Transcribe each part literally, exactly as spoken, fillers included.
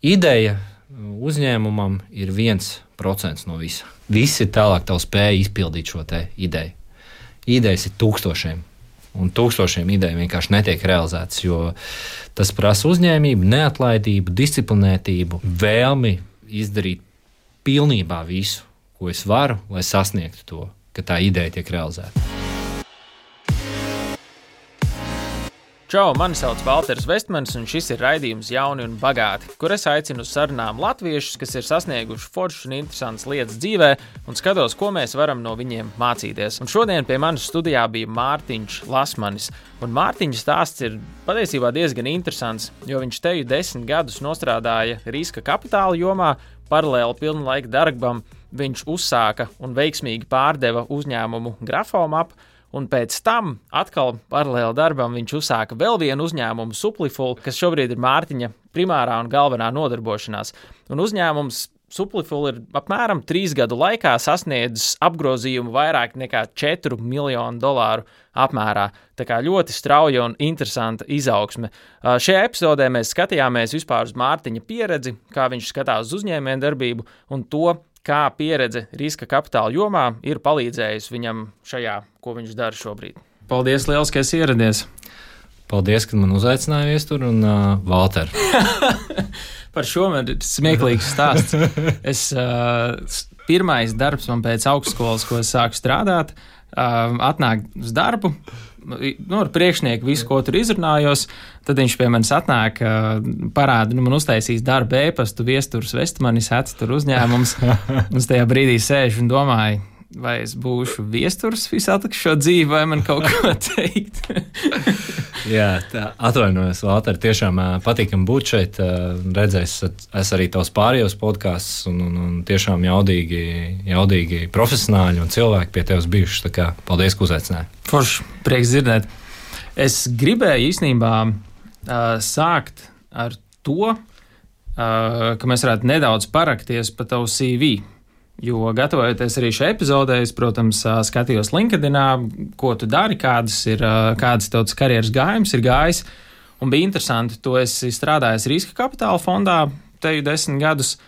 Ideja uzņēmumam ir viens procents no visa. Viss ir tālāk tev spēja izpildīt šo te ideju. Idejas ir tūkstošiem, un tūkstošiem ideju vienkārši netiek realizētas, jo tas prasa uzņēmību, neatlaidību, disciplinētību, vēlmi izdarīt pilnībā visu, ko es varu, lai sasniegtu to, ka tā ideja tiek realizēta. Čau, mani sauc Valters Vestmanis, un šis ir raidījums Jauni un bagāti, kur es aicinu uz sarunām latviešus, kas ir sasnieguši foršas un interesantas lietas dzīvē, un skatos, ko mēs varam no viņiem mācīties. Un šodien pie manis studijā bija Mārtiņš Lasmanis, un Mārtiņa stāsts ir patiesībā diezgan interesants, jo viņš teju desmit gadus nostrādāja riska kapitāla jomā, paralēli pilnlaika darbam viņš uzsāka un veiksmīgi pārdeva uzņēmumu Grafomap, un pēc tam atkal paralēli darbam viņš uzsāka vēl vienu uzņēmumu Supliful, kas šobrīd ir Mārtiņa primārā un galvenā nodarbošanās. Un uzņēmums Supliful ir apmēram trīs gadu laikā sasniedzis apgrozījumu vairāk nekā četru miljonu dolāru apmērā. Tā kā ļoti strauja un interesanta izaugsme. Šajā epizodē mēs skatījāmies vispār uz Mārtiņa pieredzi, kā viņš skatās uz uzņēmējdarbību un to, kā pieredze riska kapitāla jomā ir palīdzējusi viņam šajā, ko viņš dara šobrīd. Paldies liels, ka esi ieradies. Paldies, ka man uzaicināja viestur un uh, Valter. Par šo man ir smieklīgs stāsts. Es, uh, pirmais darbs man pēc augstskolas, ko es sāku strādāt, uh, atnāk uz darbu, nu, ar priekšnieku visu, ko tur izrunājos, tad viņš pie manis atnāk, parāda, nu, man uztaisīs darba ēpastu Viesturs Vestmanis, hats tur uzņēmums, un es tajā brīdī sēžu un domāju, vai es būšu Viesturs visu atlikušo dzīvi, vai man kaut ko teikt. Jā, tā, atvainojos, Valter, tiešām patīkam būt šeit, redzēs, es arī tavs pārējos podcasts, un, un, un tiešām jaudīgi, jaudīgi profesionāļi un cilvēki pie tevis bijuši, tā kā paldies, ka uzaicināji. Forši, prieks dzirdēt. Es gribēju īstenībā uh, sākt ar to, uh, ka mēs varētu nedaudz parakties pa tavu C V. Jo gatavojoties arī šai epizodē, es, protams, skatījos LinkedInā, ko tu dari, kādas ir, kādas tautas karjeras gājums ir gājis. Un bija interesanti, tu esi strādājis riska kapitāla fondā teju desmit gadus,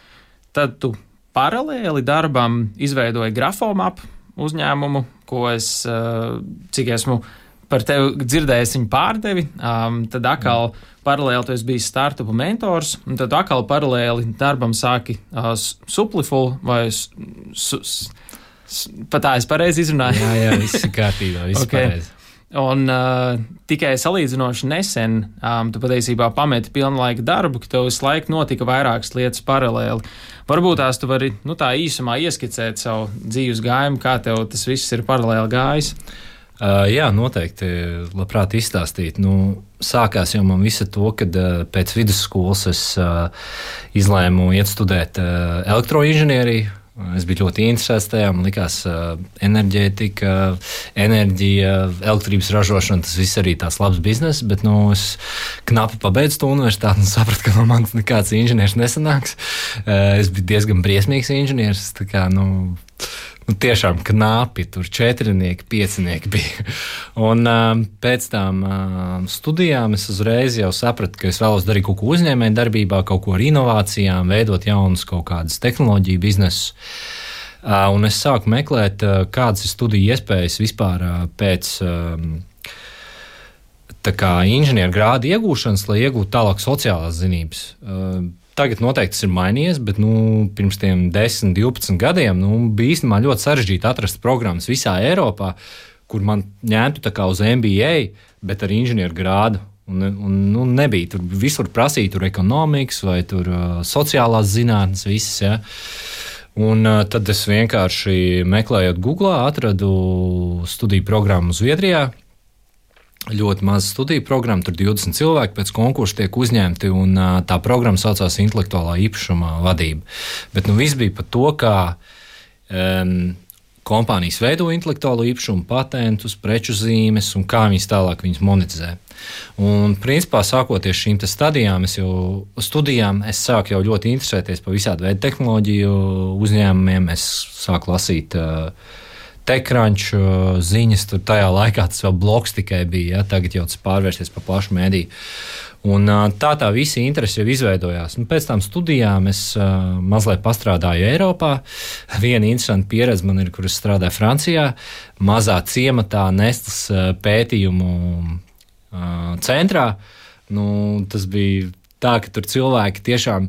tad tu paralēli darbam izveidoji Grafomap uzņēmumu, ko es, cik esmu par tevi dzirdējis, viņu pārdevi, um, tad atkal paralēli tu esi bijis startupu mentors, un tad atkal paralēli darbam sāki uh, Supliful, vai su, su, pat tā es pareizi izrunāju? Jā, jā, viss ir kārtībā, viss okay. Pareizi. Un uh, tikai salīdzinoši nesen um, tu patiesībā pameti pilnlaika darbu, ka tev visu laiku notika vairākas lietas paralēli. Varbūt tās tu vari, nu, tā īsumā ieskicēt savu dzīves gājumu, kā tev tas viss ir paralēli gājis. Uh, jā, noteikti, labprāt izstāstīt. Nu, sākās jau man visa to, kad uh, pēc vidusskolas es uh, izlēmu iet studēt uh, elektroinženieriju. Es biju ļoti interesēts tajā, man likās uh, enerģētika, enerģija, elektrības ražošana, tas viss arī tās labs bizness, bet nu, es knapi pabeidzu to universitāti un sapratu, ka no manis nekāds inženieris nesanāks. Uh, es biju diezgan briesmīgs inženieris, tā kā, nu, Nu, tiešām knapi, tur četrinieki, piecinieki bija. Un um, pēc tam um, studijām es uzreiz jau sapratu, ka es vēlos darīt kaut ko uzņēmēju darbībā, kaut ko ar inovācijām, veidot jaunus kaut kādas tehnoloģiju biznesus. Uh, un es sāku meklēt, uh, kādas ir studiju iespējas vispār uh, pēc um, tā kā inženieru grādu iegūšanas, lai iegūtu tālāk sociālās zinības. Uh, Tagad noteikti tas ir mainījies, bet nu, pirms tiem desmit, divpadsmit gadiem nu, bija īstenībā ļoti sarežģīti atrast programmas visā Eiropā, kur man ņemtu tā kā uz M B A, bet ar inženieru grādu. Un, un, nu, nebija tur visur prasīt, tur ekonomikas vai tur uh, sociālās zinātnes, visas. Ja. Un uh, tad es vienkārši meklējot Googlā, atradu studiju programmu Zviedrijā. Ļoti maza studiju programma, tur divdesmit cilvēki pēc konkursa tiek uzņemti, un uh, tā programma saucās intelektuālā īpašuma vadība. Bet nu, viss bija par to, kā um, kompānijas veido intelektuālo īpašumu, patentus, preču zīmes un kā viņas tālāk viņas monetizē. Un principā sākoties šīm stadijām, es jau studijām, es sāku jau ļoti interesēties par visādu veidu tehnoloģiju uzņēmumiem, es sāku lasīt uh, TechCrunch ziņas, tur tajā laikā tas vēl blogs tikai bija, ja, tagad jau tas pārvērsties par plašu mēdīju. Un tā tā visi interesi jau izveidojās. Un pēc tam studijām es uh, mazliet pastrādāju Eiropā. Viena interesanta pieredze man ir, kur es strādāju Francijā, mazā ciematā Nestles uh, pētījumu uh, centrā. Nu, tas bija tā, ka tur cilvēki tiešām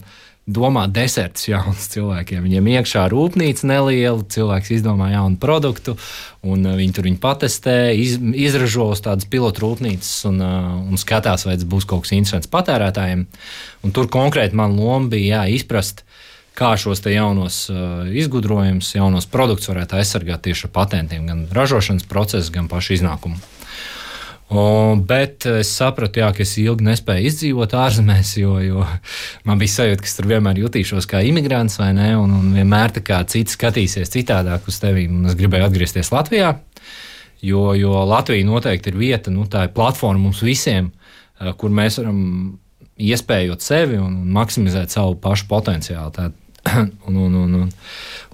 domā deserts jauns cilvēkiem. Viņiem iekšā rūpnīca neliela, cilvēks izdomā jaunu produktu, un viņi tur viņu patestē, iz, izražo uz tādas pilotu rūpnīcas un, un skatās, vai tas būs kaut kas interesants patērētājiem. Un tur konkrēti man loma bija jā, izprast, kā šos te jaunos uh, izgudrojumus, jaunos produktus varētu aizsargāt tieši ar patentiem, gan ražošanas procesu, gan pašu iznākumu. O, bet es sapratu, jā, ka es ilgi nespēju izdzīvot ārzemēs, jo, jo man bija sajūta, ka es tur vienmēr jutīšos kā imigrants, vai ne, un, un vienmēr tā kā citi skatīsies citādāk uz tevi, un es gribēju atgriezties Latvijā, jo, jo Latvija noteikti ir vieta, nu, tā ir platforma mums visiem, kur mēs varam iespējot sevi un maksimizēt savu pašu potenciālu. Tā, un, un, un, un,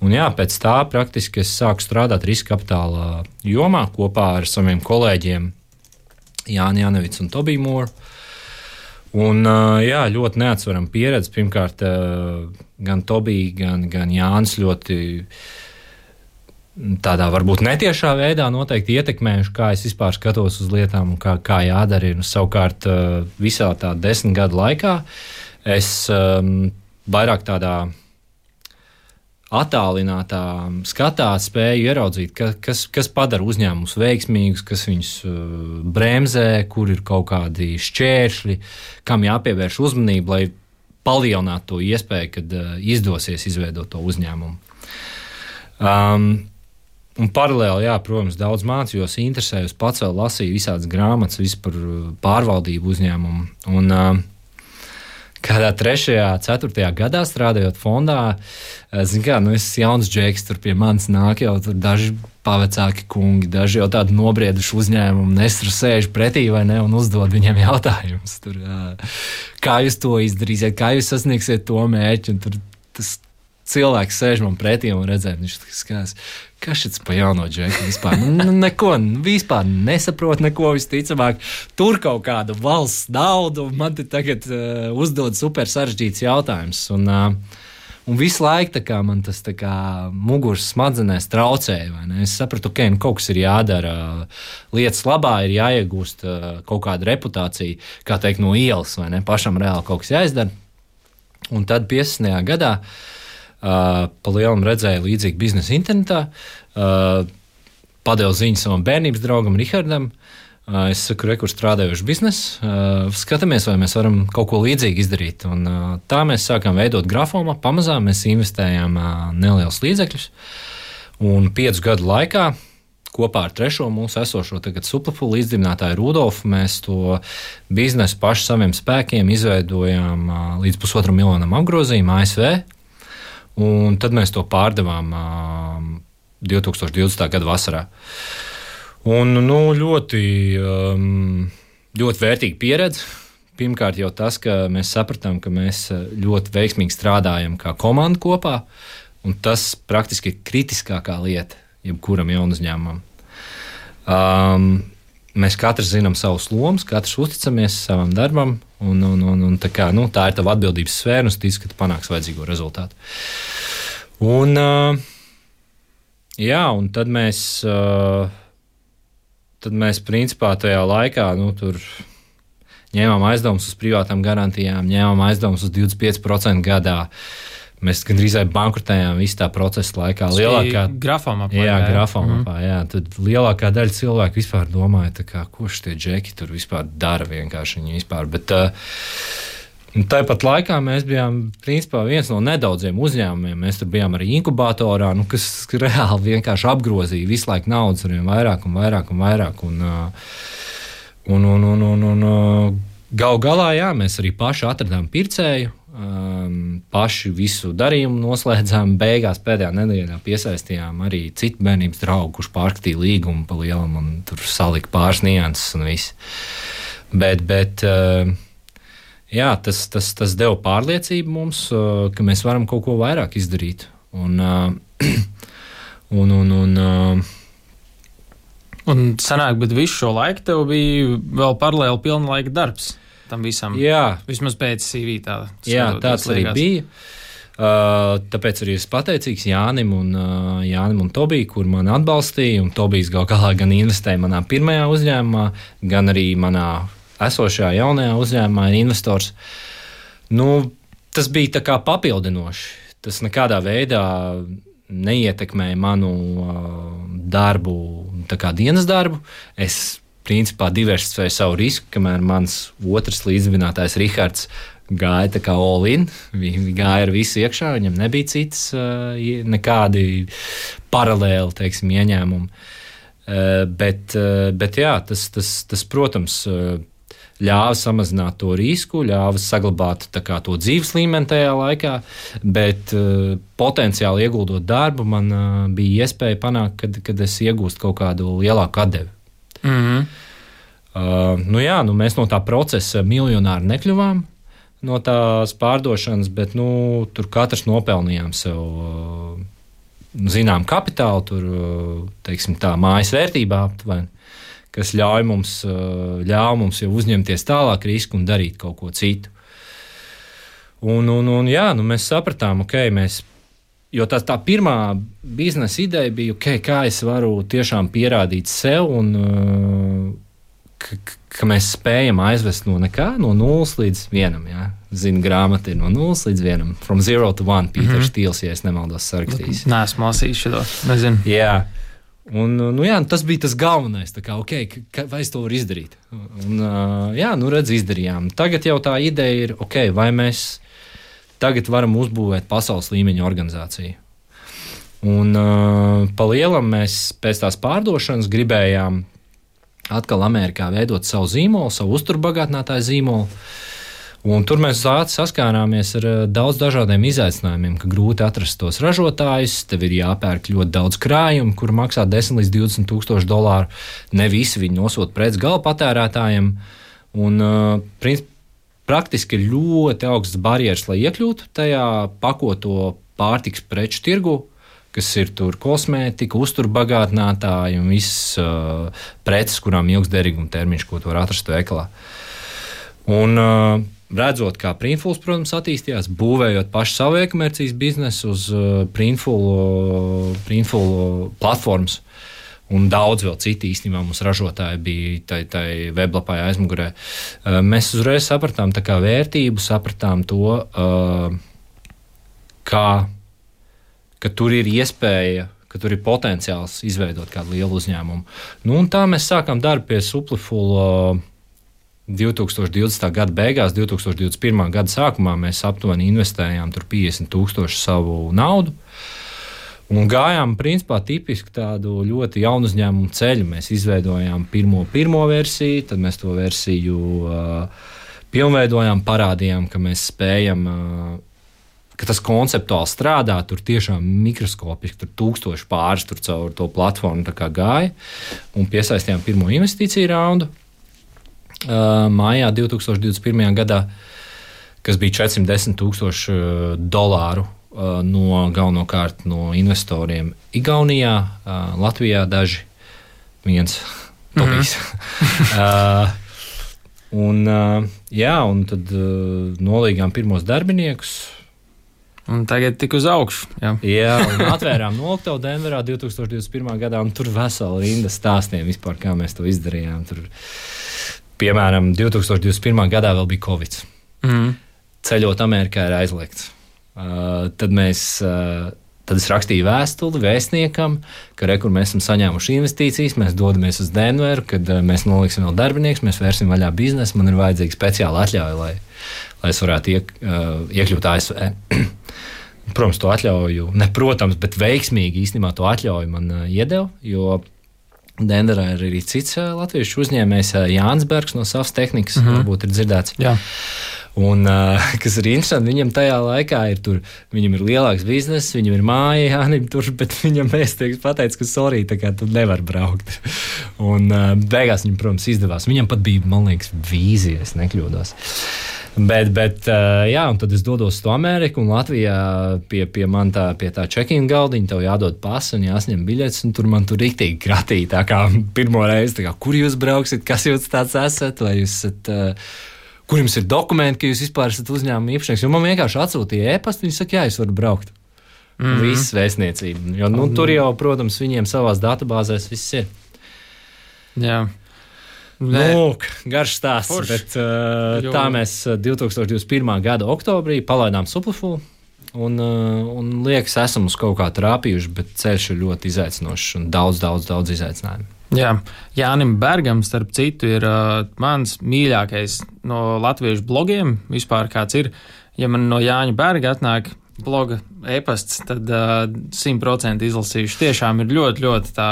un jā, pēc tā praktiski es sāku strādāt riska kapitāla jomā kopā ar saviem kolēģiem Jāni Janevics un Tobiju Mūru. Un, jā, ļoti neatsverama pieredze. Pirmkārt, gan Tobija, gan, gan Jānis ļoti tādā varbūt netiešā veidā noteikti ietekmējuši, kā es vispār skatos uz lietām un kā, kā jādara. Un, savukārt, visā tā desmit gadu laikā es um, vairāk tādā attālinātā skatā spēju ieraudzīt, ka, kas, kas padara uzņēmumus veiksmīgus, kas viņus uh, bremzē, kur ir kaut kādi šķēršļi, kam jāpievērš uzmanība, lai palielinātu to iespēju, kad uh, izdosies izveidot to uzņēmumu. Um, un paralēli, jā, protams, daudz mācījos, interesējos, pats vēl lasīju visādas grāmatas, visu par pārvaldību uzņēmumu. Un, uh, Kādā trešajā, ceturtajā gadā strādājot fondā, zin kā, nu es jauns džeks, tur pie manis nāk jau tur daži pavecāki kungi, daži jau tādi nobrieduši uzņēmumi, nesru sēž pretī vai ne un uzdod viņiem jautājumus. Tur, kā jūs to izdarīsiet, kā jūs sasniegsiet to mērķi, un tur tas cilvēks sēž man pretī un redzēt, viņš skās, kas šis pa jauno džeku vispār, nu, neko, vispār nesaprot neko visticamāk, tur kaut kādu valsts naudu, man te tagad uh, uzdod super sarežģīts jautājums, un, uh, un visu laiku tā kā man tas tā kā muguras smadzenēs traucēja, vai ne? Es sapratu, ka okay, kaut kas ir jādara, lietas labā ir jāiegūst uh, kaut kāda reputācija, kā teikt, no ielas, vai ne? Pašam reāli kaut kas jāizdara, un tad piecdesmitajā gadā Uh, pa lielam redzēju līdzīgu biznesu internetā, uh, padevu ziņu savam bērnības draugam Rihardam. Uh, es saku, re, kur strādājuši biznesu, uh, skatāmies, vai mēs varam kaut ko līdzīgi izdarīt. Un, uh, tā mēs sākām veidot grafomā, pamazām mēs investējām uh, nelielus līdzekļus. Un piecu gadu laikā kopā ar trešo mūsu esošo tagad Suplafulu līdzdibinātāju Rudolfu mēs to biznesu paši saviem spēkiem izveidojām uh, līdz pusotram miljonam apgrozījumu A S V. Un tad mēs to pārdevām uh, divtūkstoš divdesmitā gada vasarā. Un, nu, ļoti, um, ļoti vērtīga pieredze. Pirmkārt jau tas, ka mēs sapratām, ka mēs ļoti veiksmīgi strādājam kā komanda kopā, un tas praktiski ir kritiskākā lieta jebkuram jaunu uzņēmumam. Um, mēs katrs zinām savus lomas, katrs uzticamies savam darbam, Un, un, un, un tā, kā, nu, tā ir tava atbildības sfēra, un es ticu, ka tu panāks vajadzīgo rezultātu. Un, uh, jā, un tad mēs, uh, tad mēs principā tajā laikā nu, tur ņēmām aizdevumus uz privātām garantijām, ņēmām aizdevumus uz divdesmit pieci procenti gadā. Mēs gandrīz bankrotējām visu tā procesa laikā. Lielākā grafomā. Jā, grafomā. Mm. Jā, tad lielākā daļa cilvēku vispār domāja, tā kā, ko šie džeki tur vispār dara vienkārši viņi vispār. Bet uh, tāpat laikā mēs bijām principā viens no nedaudziem uzņēmumiem. Mēs tur bijām arī inkubatorā, nu, kas reāli vienkārši apgrozīja visu laiku naudas ar vien vairāk un vairāk un vairāk. Un, uh, un, un, un, un, un uh, gal galā, jā, mēs arī paši atradām pircēju. Um, paši visu darījumu noslēdzām, beigās pēdējā nedēļā piesaistījām arī citu bērnības draugu, kurš pārskatīja līgumu pa lielam un tur salika pāris nianses un viss. Bet, bet uh, jā, tas, tas, tas deva pārliecību mums, uh, ka mēs varam kaut ko vairāk izdarīt. Un, uh, un, un, un, uh, un sanāk, bet visu šo laiku tev bija vēl paralēli pilna laika darbs. tam visam. Jā. Vismaz pēc C V tā. Jā, tāds arī bija. Uh, tāpēc arī esmu pateicīgs Jānim un, uh, Jānim un Tobiju, kur mani atbalstīja. Un Tobijs gal galā gan investēja manā pirmajā uzņēmumā, gan arī manā esošajā jaunajā uzņēmumā ir investors. Nu, tas bija tā kā papildinoši. Tas nekādā veidā neietekmēja manu uh, darbu, tā kā dienas darbu. Es principā diversificēju savu risku, kamēr mans otrs līdzdibinātājs Rihards gāja tā kā all in. Viņi gāja ar visu iekšā, viņam nebija citas uh, nekādi paralēli, teiksim, ieņēmumi. Uh, bet, uh, bet jā, tas, tas, tas protams, uh, ļāva samazināt to risku, ļāva saglabāt tā kā to dzīves līmeni tajā laikā, bet uh, potenciāli ieguldot darbu, man uh, bija iespēja panākt, kad, kad es iegūstu kaut kādu lielāku atdevi. Mm-hmm. Uh, nu jā, nu mēs no tā procesa miljonāri nekļuvām, no tās pārdošanas, bet nu, tur katrs nopelnījām sev uh, zinām kapitālu, tur, uh, teiksim tā, mājas vērtībā aptuveni, kas ļauj mums, uh, ļauj mums jau uzņemties tālāk risku un darīt kaut ko citu. Un, un, un jā, nu mēs sapratām, ok, mēs, jo tā, tā pirmā biznesa ideja bija, ok, kā es varu tiešām pierādīt sev un uh, ka, ka mēs spējam aizvest no nekā, no nulles līdz vienam. Jā. Zinu, grāmata ir no nulles līdz vienam. From zero to one, Pīters mm-hmm. Stīls, ja es nemaldos, sarakstījis. Nē, esmu lasījis šo, nezinu. Jā, un nu, jā, tas bija tas galvenais. Tā kā, ok, ka, vai es to varu izdarīt? Un, jā, nu redz, izdarījām. Tagad jau tā ideja ir, ok, vai mēs tagad varam uzbūvēt pasaules līmeņa organizāciju. Un pa lielam mēs pēc tās pārdošanas gribējām atkal Amerikā veidot savu zīmolu, savu uzturbagātinātāju zīmolu. Un tur mēs saskārāmies ar daudz dažādiem izaicinājumiem, ka grūti atrast tos ražotājus, tev ir jāpērk ļoti daudz krājumu, kur maksā desmit līdz divdesmit tūkstoši dolāru. Ne visi viņi nosūt preci gala patērētājiem. Un, princip, praktiski ir ļoti augsts barjeras, lai iekļūtu tajā pakoto pārtiks preču tirgu, kas ir tur kosmētika, uzturbagātinātāji un visas uh, preces, kurām ilgs derīguma termiņš, ko tu var atrast veikalā. Un uh, redzot, kā Printfuls, protams, attīstījās, būvējot pašu savu e-komercijas biznesu uz uh, Printful, Printful platformas, un daudz vēl citi īstenībā mums ražotāji bija tai, tai weblapā aizmugurē. Uh, mēs uzreiz sapratām tā kā vērtību, sapratām to, uh, kā ka tur ir iespēja, ka tur ir potenciāls izveidot kādu lielu uzņēmumu. Nu, un tā mēs sākām darbu pie Supliful divtūkstoš divdesmitā gada beigās, divtūkstoš divdesmit pirmā gada sākumā mēs aptuveni investējām tur piecdesmit tūkstoši savu naudu un gājām principā tipiski tādu ļoti jaunu uzņēmumu ceļu. Mēs izveidojām pirmo, pirmo versiju, tad mēs to versiju uh, pilnveidojām, parādījām, ka mēs spējam uh, ka tas konceptuāli strādā, tur tiešām mikroskopiski, tur tūkstoši pāris tur caur to platformu tā kā gāja, un piesaistījām pirmo investīciju raundu uh, mājā divtūkstoš divdesmit pirmajā gadā, kas bija četrsimt desmit tūkstoši dolāru uh, no galvenokārt no investoriem Igaunijā, uh, Latvijā daži, viens Tobijs. Mm-hmm. uh, un, uh, jā, un tad uh, nolīgām pirmos darbiniekus. Un tagad tik uz augšu. Jā, jā un atvērām noktavu Denverā divtūkstoš divdesmit pirmā gadā, un tur vesela rinda stāstiem vispār, kā mēs to izdarījām. Tur, piemēram, divtūkstoš divdesmit pirmā gadā vēl bija Covid. Mm. Ceļot Amerikā ir aizliegts. Uh, tad mēs, uh, tad es rakstīju vēstuli vēstniekam, ka re, kur mēs esam saņēmuši investīcijas, mēs dodamies uz Denveru, kad uh, mēs noliksim vēl darbinieks, mēs vērsim vaļā biznesu, man ir vajadzīga speciāla atļauja, lai, lai es varētu iek, uh, iekļūt A S V. Protams, to atļauju, ne protams, bet veiksmīgi īstenībā to atļauju man uh, iedeva, jo Denverā ir arī cits uh, latviešu uzņēmējs uh, Jānis Bergs no Savas tehnikas, mm-hmm. varbūt ir dzirdēts. Jā. Un, uh, kas ir interesanti, viņam tajā laikā ir tur, viņam ir lielāks bizness, viņam ir māja, Jānim tur, bet viņam vēstnieks pateica, ka sorry, tā kā tu nevar braukt. Un uh, beigās viņam, protams, izdevās. Viņam pat bija, man liekas, vīzija, es nekļūdos. Bet, bet uh, jā, un tad es dodos uz to Ameriku, un Latvijā pie, pie man tā, pie tā check-in galdiņa tev jādod pasi un jāsņem biļetes, un tur man tur riktīgi kratīja, tā kā pirmo reizi, tā kā, kur jūs brauksit, kas jūs tāds esat, vai jūs esat uh, kur jums ir dokumenti, ka jūs vispār esat uzņēmuma īpašnieks. Jo man vienkārši atsūtīja e-pastu, viņi saka, jā, es varu braukt. Mm-hmm. Viss vēstniecība. Jo, nu, mm-hmm. tur jau, protams, viņiem savās datubāzēs viss ir. Jā. Lūk, garš stāsts, Forš. bet uh, tā mēs divtūkstoš divdesmit pirmā gada oktobrī palaidām Suplifulu un, uh, un liekas, esam uz kaut kā trāpījuši, bet ceļš ir ļoti izaicinošs un daudz, daudz, daudz izaicinājumu. Jā, Jānim Bergam, starp citu, ir uh, mans mīļākais no latviešu blogiem vispār kāds ir. Ja man no Jāņa Berga atnāk bloga e-pasts, tad simt procenti uh, izlasījuši. Tiešām ir ļoti, ļoti tā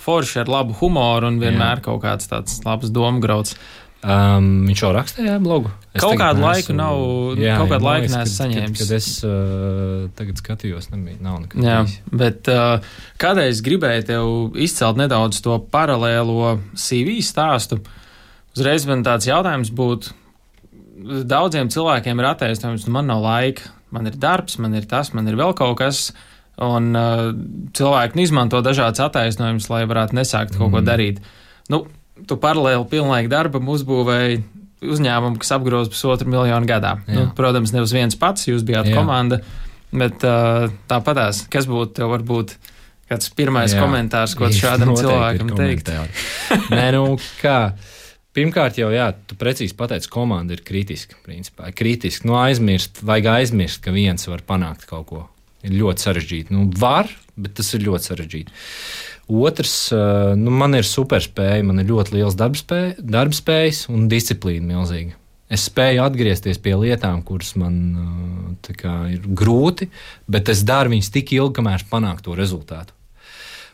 forši ar labu humoru un vienmēr Jā. Kaut kāds tāds labs domgrauds. Um, viņš jau rakstīja blogu? Es kaut kādu laiku nav, jā, kaut kādu jā, laiku neesmu saņēmis. Kad, kad es uh, tagad skatījos, nebija, nav nekad. Jā, bet uh, kādreiz gribēju tev izcelt nedaudz to paralēlo C V stāstu. Uzreiz man tāds jautājums būtu, daudziem cilvēkiem ir attaisnojums, nu man nav laika. Man ir darbs, man ir tas, man ir vēl kaut kas, un uh, cilvēki izmanto dažādas attaisnojumus, lai varētu nesākt kaut mm. ko darīt. Nu, tu paralēli pilnlaika darbam uzbūvēji uzņēmumu, kas apgroz pusotru miljonu gadā. Nu, protams, ne uz viens pats, jūs bijāt Jā. komanda, bet uh, tāpatās, kas būtu tev varbūt kāds pirmais Jā. komentārs, ko šādam cilvēkam teikt? Nē, nu kā... Pirmkārt, jau jā, tu precīzi pateici, komanda ir kritiska. Principā. Kritiski, nu aizmirst, vajag aizmirst, ka viens var panākt kaut ko. Ir ļoti sarežģīti. Nu, var, bet tas ir ļoti sarežģīti. Otrs, nu, man ir superspēja, man ir ļoti liels darbspēj, darbspējas un disciplīna milzīga. Es spēju atgriezties pie lietām, kuras man tā kā, ir grūti, bet es daru viņas tik ilgi, kamēr panāku to rezultātu.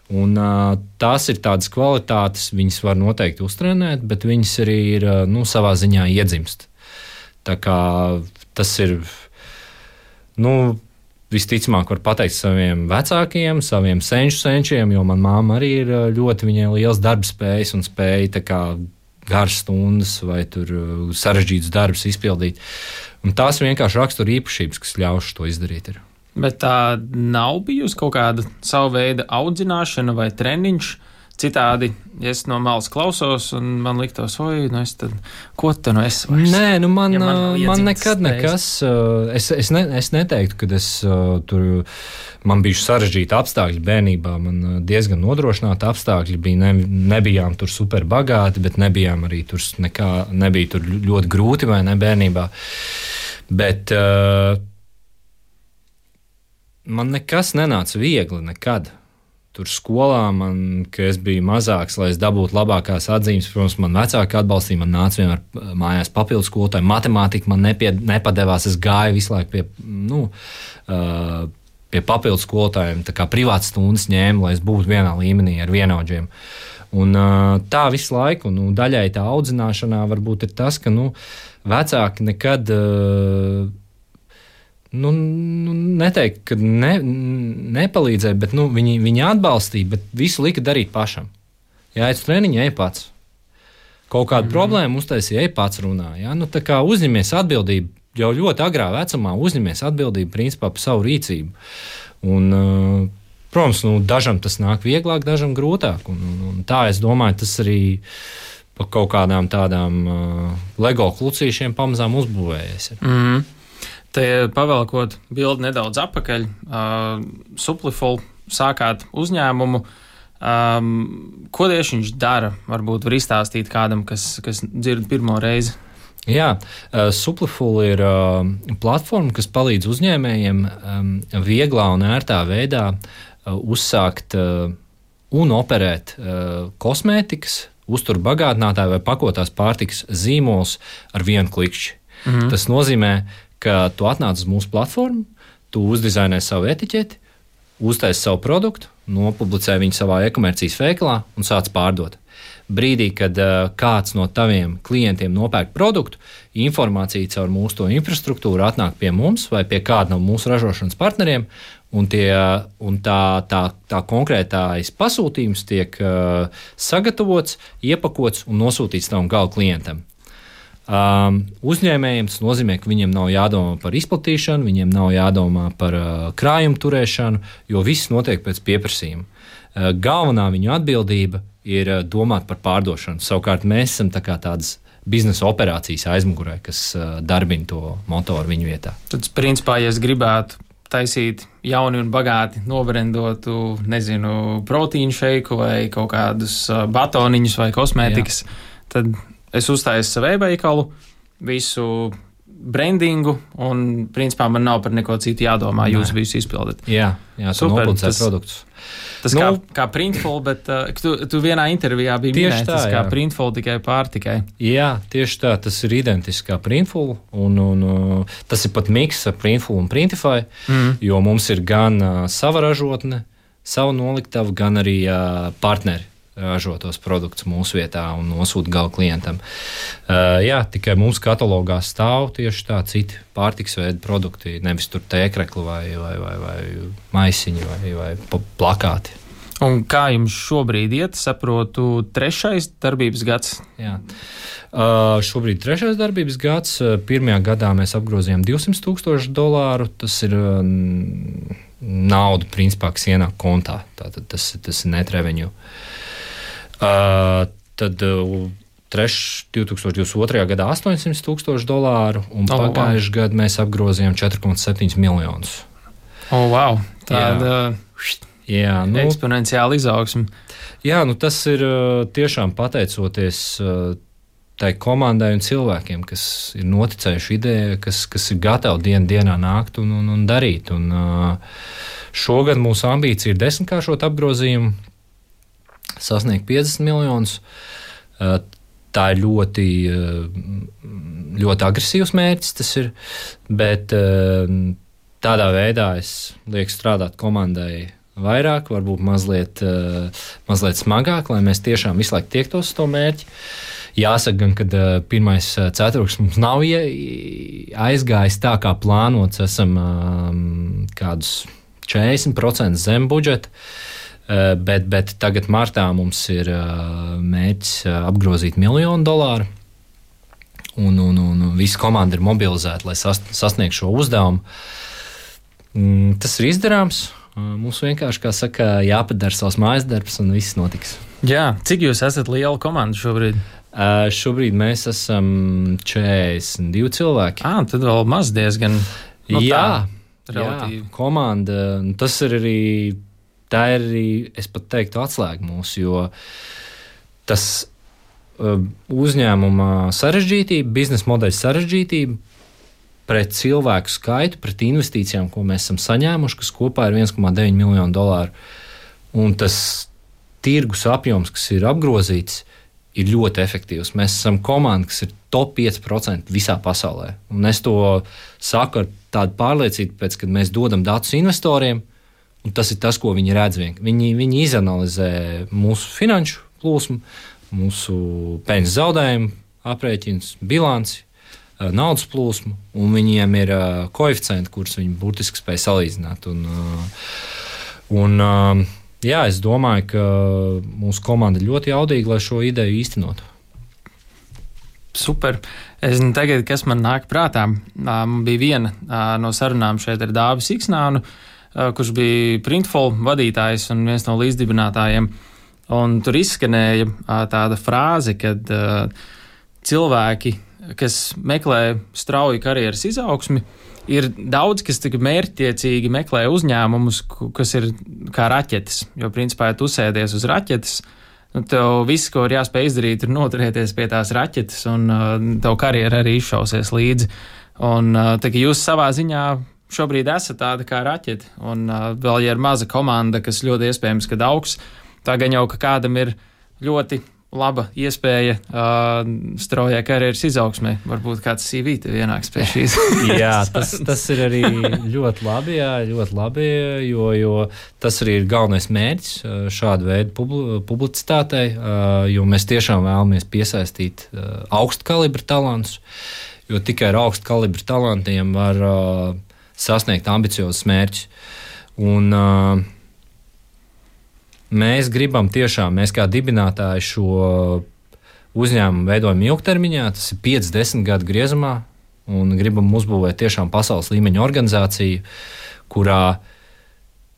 Un, uh, tās ir tādas kvalitātes, viņas var noteikti uztrenēt, bet viņas arī ir nu, savā ziņā iedzimst. Tā kā tas ir, nu, visticamāk var pateikt saviem vecākiem, saviem senču senčiem, jo man māma arī ir ļoti, viņai liels darbspējas un spēja tā kā garas stundas vai tur sarežģītus darbus izpildīt. Un tās vienkārši rakstura īpašības, kas ļauš to izdarīt. Ir. Bet tā nav bijusi kaut kāda savu veidu audzināšana vai treniņš. Citādi, ja es no malas klausos un man liktos, oi, nu es tad, ko te nu es vairs? Nē, nu man, ja man, man nekad spējas. nekas, es, es, ne, es neteiktu, ka es tur, man bija sarežģīti apstākļi bērnībā, man diezgan nodrošināti apstākļi bija, ne, nebijām tur super bagāti, bet nebijām arī tur nekā, nebija tur ļoti grūti vai ne bērnībā. Bet, uh, man nekas nenāca viegli nekad. Tur skolā man, kad es biju mazāks, lai es dabūtu labākās atzīmes, protams, man vecāki atbalstīja, man nāca vienmēr mājās papildus skolotāji, matemātika man nepie, nepadevās, es gāju visu laiku pie, nu, uh, pie papildus skolotājiem, tā kā privātas stundas ņēmu, lai es būtu vienā līmenī ar vienaudžiem. Un uh, tā visu laiku, nu, daļai tā audzināšanā varbūt ir tas, ka, nu, vecāki nekad... Uh, Nu, nu, neteikt, ka ne, nepalīdzēja, bet nu, viņi, viņi atbalstīja, bet visu lika darīt pašam. Ja aiz treniņa, ej pats. Kaut kādu mm. problēmu uztaisīja, ej pats runā. Ja? Nu, tā kā uzņemies atbildību, jau ļoti agrā vecumā uzņemies atbildību principā par savu rīcību. Un, uh, protams, nu, dažam tas nāk vieglāk, dažam grūtāk. Un, un, un tā es domāju, tas arī pa kaut kādām tādām uh, Lego klucīšiem pamazām uzbūvējies. Mm. Te pavelkot bildi nedaudz apakaļ, uh, Supliful sākāt uzņēmumu. Um, ko tieši viņš dara? Varbūt var izstāstīt kādam, kas, kas dzird pirmo reizi. Jā, uh, Supliful ir uh, platforma, kas palīdz uzņēmējiem um, vieglā un ērtā veidā uh, uzsākt uh, un operēt uh, kosmētikas, uzturbagātinātāju vai pakotās pārtikas zīmolus ar vienu klikšķi. Mhm. Tas nozīmē, ka tu atnāc uz mūsu platformu, tu uzdizainē savu etiķeti, uztaisi savu produktu, nopublicē viņu savā e-komercijas veikalā un sāc pārdot. Brīdī, kad uh, kāds no taviem klientiem nopērk produktu, informācija caur mūsu to infrastruktūru atnāk pie mums vai pie kāda no mūsu ražošanas partneriem, un, tie, un tā, tā, tā konkrētais pasūtījums tiek uh, sagatavots, iepakots un nosūtīts tavam gala klientam. Um, uzņēmējiem tas nozīmē, ka viņiem nav jādomā par izplatīšanu, viņiem nav jādomā par uh, krājumu turēšanu, jo viss notiek pēc pieprasījuma. Uh, galvenā viņu atbildība ir uh, domāt par pārdošanu. Savukārt mēs esam tā kā tādas biznesa operācijas aizmugurē, kas darbina to motoru viņu vietā. Tad, principā, ja es gribētu taisīt jauni un bagāti nobrendotu, nezinu, proteīnu šeiku vai kaut kādus batoniņus vai kosmētikas, Jā. Tad es uztaisu savu e-veikalu, visu brandingu, un, principā, man nav par neko citu jādomā, jūs Nē. Visu izpildat. Jā, jā, tu nopublicē produktus. Tas nu, kā, kā Printful, bet uh, tu, tu vienā intervijā biji minējis, tas kā Printful tikai pārtikai. Jā, tieši tā, tas ir identiski kā Printful, un, un uh, tas ir pat miks ar Printful un Printify, mm. jo mums ir gan uh, sava ražotne, sava noliktava, gan arī uh, partneri ražotos produktus mūsu vietā un nosūta gala klientam. Uh, jā, tikai mums katalogā stāv tieši tā citi pārtiks veidi produkti, nevis tur tēkrekli vai, vai, vai, vai maisiņi vai, vai plakāti. Un kā jums šobrīd iet, saprotu, trešais darbības gads? Jā. Uh, šobrīd trešais darbības gads. Pirmajā gadā mēs apgrozījām divsimt tūkstošu dolāru. Tas ir uh, nauda, principā, kas ienāk kontā. Tātad tas, tas ir net revenue. Uh, tad uh, treš, divtūkstoš divdesmit otrajā gadā astoņsimt tūkstoši dolāru, un oh, pagājušajā wow. gadā mēs apgrozījām četri komats septiņi miljonus. O, oh, wow! Tāda jā, nu, eksponenciāla izaugsme. Jā, nu tas ir uh, tiešām pateicoties uh, tai komandai un cilvēkiem, kas ir noticējuši idejai, kas, kas ir gatavi dienu dienā nākt un, un, un darīt. Un, uh, šogad mūsu ambīcija ir desmitkāršot apgrozījumu, sasniegt piecdesmit miljonus. Tā ir ļoti, ļoti agresīvs mērķis, tas ir, bet tādā veidā es lieku strādāt komandai vairāk, varbūt mazliet, mazliet smagāk, lai mēs tiešām visu laiku tiektos uz to mērķi. Jāsaka gan, ka pirmais ceturksnis mums nav aizgājis tā, kā plānots, esam kādus četrdesmit procenti zem budžeta. Bet, bet tagad martā mums ir mērķis apgrozīt miljonu dolāru, un, un, un visa komanda ir mobilizēta, lai sasniegtu šo uzdevumu. Tas ir izdarāms. Mums vienkārši, kā saka, jāpadara savs mājas darbs, un viss notiks. Jā, cik jūs esat liela komanda šobrīd? Uh, šobrīd mēs esam četrdesmit divi cilvēki. Ā, tad vēl maz diezgan. Nu, jā, tā, relatīvi. Jā, komanda. Tas ir arī. Tā ir arī, es pat teiktu, atslēga mūsu, jo tas uh, uzņēmuma sarežģītība, biznesa modeļa sarežģītība pret cilvēku skaitu, pret investīcijām, ko mēs esam saņēmuši, kas kopā ir viens komā deviņi miljonu dolāru. Un tas tirgus apjoms, kas ir apgrozīts, ir ļoti efektīvs. Mēs esam komanda, kas ir top pieci procenti visā pasaulē. Un es to saku ar tādu pārliecību, pēc, kad mēs dodam datus investoriem. Un tas ir tas, ko viņi redz. Viņi, viņi izanalizē mūsu finanšu plūsmu, mūsu peļņas zaudējumu, aprēķinus, bilanci, naudas plūsmu, un viņiem ir koeficienti, kurus viņi burtiski spēj salīdzināt. Un, un, jā, es domāju, ka mūsu komanda ir ļoti jaudīga, lai šo ideju īstenotu. Super. Es nezinu, tagad, kas man nāk prātā. Man bija viena no sarunām šeit ar Dāvi Siksnānu, kurš bija Printful vadītājs un viens no līdzdibinātājiem. Un tur izskanēja tāda frāze, kad cilvēki, kas meklē strauju karjeras izaugsmi, ir daudz, kas tik mērķtiecīgi meklē uzņēmumus, kas ir kā raķetes. Jo, principā, ja tu sēdies uz raķetes, nu, tev viss, ko ir jāspēj izdarīt, ir noturēties pie tās raķetes, un tev karjera arī izšausies līdzi. Un tā, ka jūs savā ziņā šobrīd esat tāda kā raķete, un uh, vēl, ja ir maza komanda, kas ļoti iespējams, kad augs, tā gan jau, ka kādam ir ļoti laba iespēja uh, straujai karjeras izaugsmē. Varbūt kāds C V tev ienāks pie šīs. Jā, tas, tas ir arī ļoti labi, jā, ļoti labi, jo, jo tas arī ir galvenais mērķis šāda veida publi, publicitātei, uh, jo mēs tiešām vēlamies piesaistīt uh, augstu kalibru talantus, jo tikai ar augstu kalibru talantiem var uh, sasniegt ambiciozus mērķus. Un uh, mēs gribam tiešām, mēs kā dibinātāji šo uzņēmumu veidojam ilgtermiņā, tas ir pieci desmit gadu griezumā, un gribam uzbūvēt tiešām pasaules līmeņa organizāciju, kurā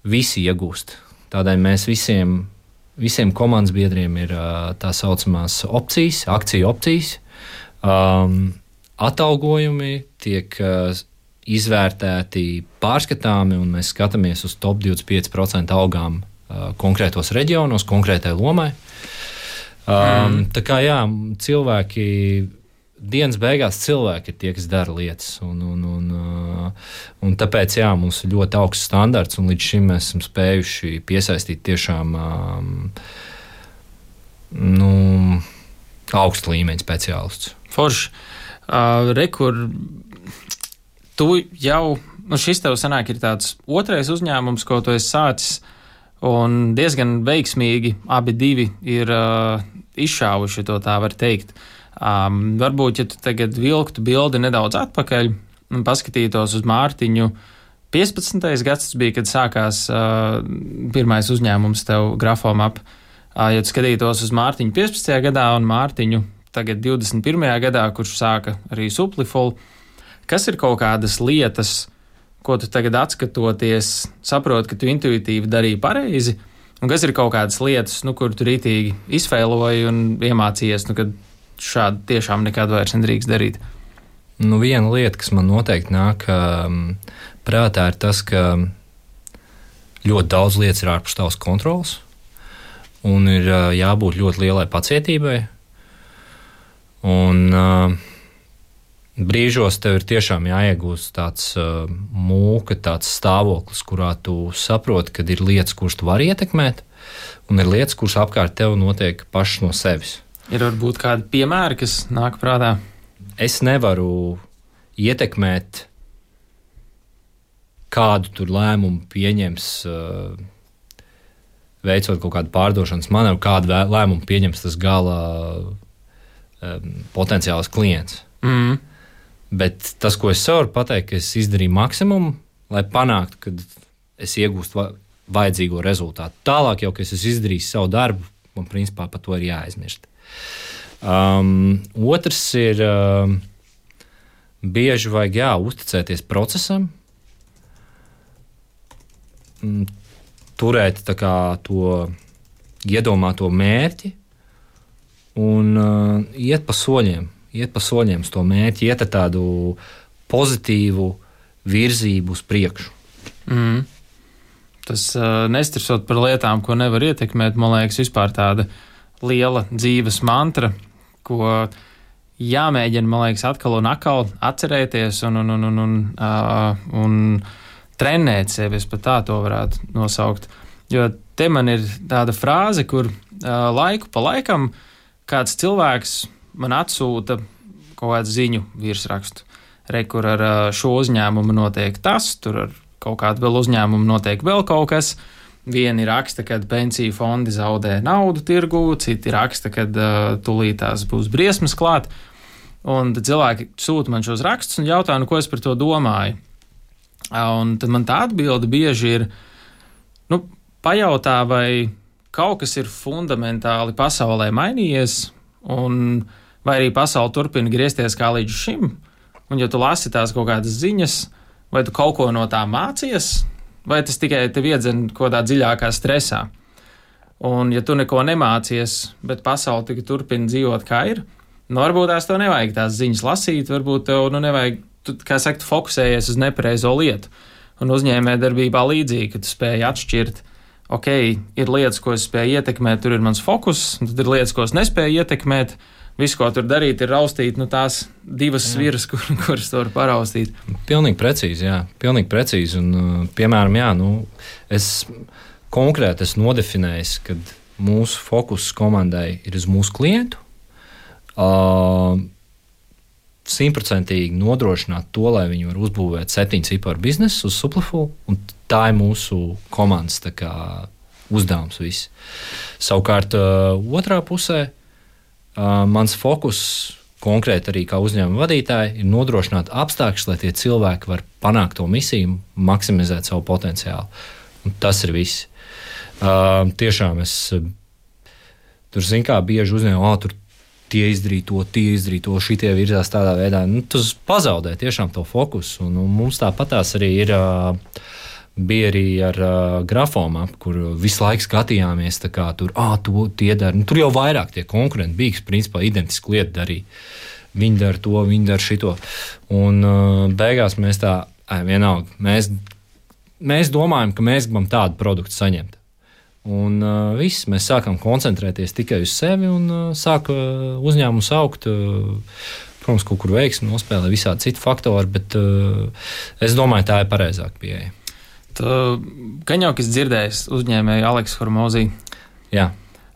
visi iegūst. Tādēļ mēs visiem, visiem komandas biedriem ir uh, tā saucamās opcijas, akciju opcijas, Um, atalgojumi tiek uh, izvērtēti pārskatāmi, un mēs skatāmies uz top divdesmit pieci procenti algām uh, konkrētos reģionos, konkrētai lomai. Um, mm. Tā kā jā, cilvēki, dienas beigās cilvēki ir tie, kas dara lietas, un, un, un, uh, un tāpēc jā, mums ir ļoti augsts standarts, un līdz šim mēs esam spējuši piesaistīt tiešām um, nu, augstu līmeņu speciālistus. Forši. Uh, Rekur, tu jau, nu šis tev sanāk ir tāds otrais uzņēmums, ko tu esi sācis, un diezgan veiksmīgi abi divi ir uh, izšāvuši, to tā var teikt. Um, varbūt, ja tu tagad vilktu bildi nedaudz atpakaļ un paskatītos uz Mārtiņu, piecpadsmitais gads bija, kad sākās uh, pirmais uzņēmums tev Grafomap. Uh, ja tu skatītos uz Mārtiņu piecpadsmitajā gadā un Mārtiņu tagad divdesmit pirmajā gadā, kurš sāka arī Supliful, kas ir kaut kādas lietas, ko tu tagad atskatoties, saproti, ka tu intuitīvi darīji pareizi, un kas ir kaut kādas lietas, nu, kur tu rītīgi izfēloji un iemācījies, nu, kad šādi tiešām nekad vairs nedrīkst darīt? Nu, viena lieta, kas man noteikti nāk um, prātā, ir tas, ka ļoti daudz lietas ir ārpus tavas kontrolas, un ir uh, jābūt ļoti lielai pacietībai. Un uh, brīžos tev ir tiešām jāiegūst tāds uh, mūka, tāds stāvoklis, kurā tu saproti, ka ir lietas, kuras tu vari ietekmēt, un ir lietas, kuras apkārt tev notiek pašas no sevis. Ir varbūt kādi piemēri, kas nāk prātā? Es nevaru ietekmēt, kādu tur lēmumu pieņems, uh, veicot kaut kādu pārdošanas manevru, kādu lēmumu pieņems tas gala potenciāls klients. Mm. Bet tas, ko es varu pateikt, ka es izdarīju maksimumu, lai panāktu, ka es iegūstu vajadzīgo rezultātu. Tālāk jau, ka es esmu izdarījis savu darbu, man principā par to ir jāaizmirst. Um, otrs ir um, bieži vajag jā, uzticēties procesam, turēt tā kā to iedomāto mērķi, un uh, iet pa soļiem, iet pa soļiem uz to mērķi, iet ar tādu pozitīvu virzību uz priekšu. Mm. Tas uh, nestresot par lietām, ko nevar ietekmēt, man liekas, vispār tāda liela dzīves mantra, ko jāmēģina, man liekas, atkal un atkal atcerēties un, un, un, un, un, uh, un trenēt sevi, es pat tā to varētu nosaukt. Jo te man ir tāda frāze, kur uh, laiku pa laikam kāds cilvēks man atsūta kaut kādu ziņu virsrakstu. Re, kur ar šo uzņēmumu notiek tas, tur ar kaut kādu vēl uzņēmumu notiek vēl kaut kas. Vieni raksta, kad pensiju fondi zaudē naudu tirgū, citi raksta, kad uh, tulītās būs briesmas klāt. Un tad cilvēki sūta man šos rakstus un jautā, nu, ko es par to domāju. Un tad man tā atbilde bieži ir, nu, pajautā, vai kaut kas ir fundamentāli pasaulē mainījies, un vai arī pasaule turpina griezties kā līdz šim, un ja tu lasi tās kaut kādas ziņas, vai tu kaut ko no tā mācies, vai tas tikai tev iedzen kaut kādā dziļākā stresā. Un ja tu neko nemācies, bet pasaule tikai turpina dzīvot kā ir, nu varbūt tās tev nevajag tās ziņas lasīt, varbūt tev nu nevajag, tu, kā saka, tu fokusējies uz nepareizo lietu. Un uzņēmējdarbībā līdzīgi, ka tu spēj atšķirt, ok, ir lietas, ko es spēju ietekmēt, tur ir mans fokus, tad ir lietas, ko es nespēju ietekmēt, visu, ko tur darīt, ir raustīt, nu tās divas sviras, kur, kuras tu vari paraustīt. Pilnīgi precīzi, jā, pilnīgi precīzi, un, piemēram, jā, nu, es konkrēti esmu nodefinējis, kad mūsu fokus komandai ir uz mūsu klientu, uh, simtprocentīgi nodrošināt to, lai viņi var uzbūvēt septiņu ciparu biznesu uz Supliful, un tā ir mūsu komandas tā kā uzdevums viss. Savukārt uh, otrā pusē uh, mans fokus konkrēti arī kā uzņēmuma vadītāji ir nodrošināt apstākļus, lai tie cilvēki var panākt to misiju, maksimizēt savu potenciālu. Un tas ir viss. Uh, tiešām es uh, tur zinu, kā bieži uzņēmu, oh, tur tie izdarīja to, tie izdarīja to, šitie virzās tādā veidā. Nu, tas pazaudē tiešām to fokusu. Un, un mums tāpatās arī ir, uh, bija arī ar uh, Grafomap, kur visu laiku skatījāmies, tā kā tur, ah, to tie dara. Nu, tur jau vairāk tie konkurenti bija, kas principā identiski lietu darīja. viņi dara to, viņi dara šito. Un uh, beigās mēs tā, ai, vienalga, mēs, mēs domājam, ka mēs gribam tādu produktu saņemt. Un uh, viss, mēs sākam koncentrēties tikai uz sevi un uh, sāka uzņēmums augt. Uh, protams, kaut kur veiksmi nospēlē visādi citi faktori, bet uh, es domāju, tā ir pareizāka pieeja. Gan jau, kas dzirdējis uzņēmēju Aleksu Hormozī. Jā.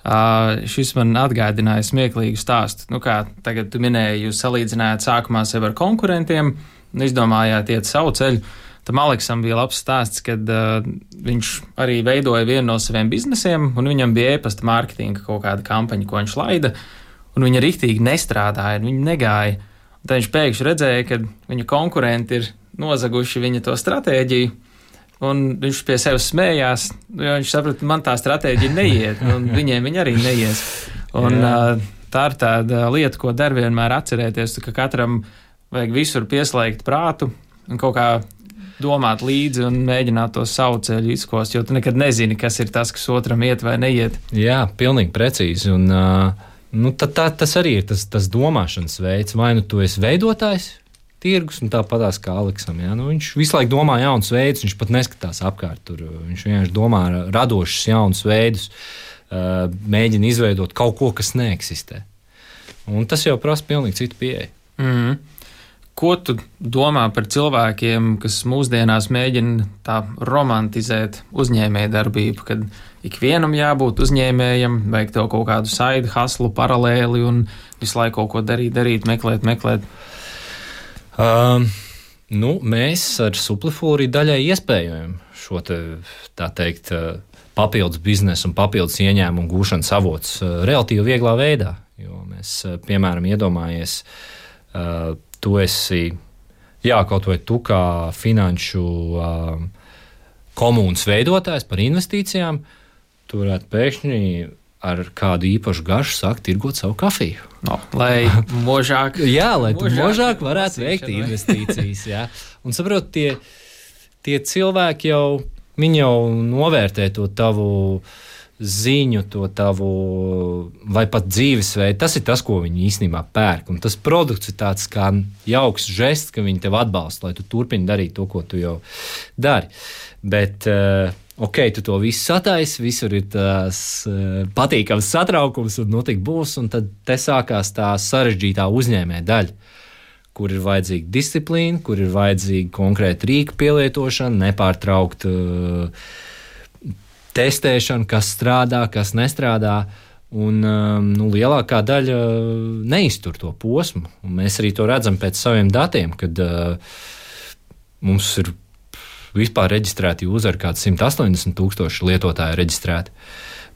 Uh, šis man atgādināja smieklīgu stāstu. Nu kā, tagad tu minēji, jūs salīdzinājāt sākumā sevi ar konkurentiem un izdomājāt iet savu ceļu. Tam Aleksam bija labs stāsts, kad uh, viņš arī veidoja vienu no saviem biznesiem, un viņam bija e-pasta mārketinga kaut kāda kampaņa, ko viņš laida, un viņa riktīgi nestrādāja, un viņa negāja. Un tad viņš pēkšņi redzēja, ka viņa konkurenti ir nozaguši viņa to stratēģiju, un viņš pie sevis smējās, jo viņš saprata, man tā stratēģija neiet, un viņiem viņa arī neies. Un uh, tā ir tāda lieta, ko dar vienmēr atcerēties, ka katram vajag visur pieslēgt prātu un kaut kā domāt līdzi un mēģināt to savu ceļu izkost, jo tu nekad nezini, kas ir tas, kas otram iet vai neiet. Jā, pilnīgi precīzi. Un, uh, nu, tā, tā, tas arī ir tas, tas domāšanas veids. Vai nu tu esi veidotājs tirgus, un tāpatās kā Aleksam. Ja? Nu, viņš visu laiku domā jaunus veidus, viņš pat neskatās apkārt. Tur. Viņš vienkārši domā radošus jaunus veidus, uh, mēģina izveidot kaut ko, kas neeksistē. Un tas jau prasa pilnīgi citu pieeju. Mm. Ko tu domā par cilvēkiem, kas mūsdienās mēģina tā romantizēt uzņēmējdarbību, kad ikvienam jābūt uzņēmējam, vajag tev kaut kādu side hustlu paralēli un visu laiku kaut ko darīt, darīt, meklēt, meklēt? Um, nu, mēs ar Suplifūri daļai iespējam šo te, tā teikt, papildus biznesu un papildus ieņēmumu gūšanas avots relatīvi vieglā veidā, jo mēs, piemēram, iedomājies uh, tu esi, jā, kaut vai tu kā finanšu um, komunas veidotājs par investīcijām, tu varētu pēkšņi ar kādu īpašu garšu sākt tirgot savu kafiju. No, lai možāk, jā, lai tu možāk, možāk varētu veikt investīcijas. Jā. Un saprot, tie, tie cilvēki jau, viņi jau novērtē to tavu ziņu, to tavu vai pat dzīvesveidu. Tas ir tas, ko viņi īstenībā pērk. Un tas produkts ir tāds kā jauks žests, ka viņi tev atbalsta, lai tu turpini darīt to, ko tu jau dari. Bet, ok, tu to visu sataisi, visur ir tās patīkams satraukums un nu tik būs, un tad te sākās tā sarežģītā uzņēmē daļa, kur ir vajadzīga disciplīna, kur ir vajadzīga konkrēta rīka pielietošana, nepārtraukt uh, testēšana, kas strādā, kas nestrādā, un nu, lielākā daļa neiztur to posmu. Un mēs arī to redzam pēc saviem datiem, kad uh, mums ir vispār reģistrēti uzvari kāds simt astoņdesmit tūkstoši lietotāji reģistrēti.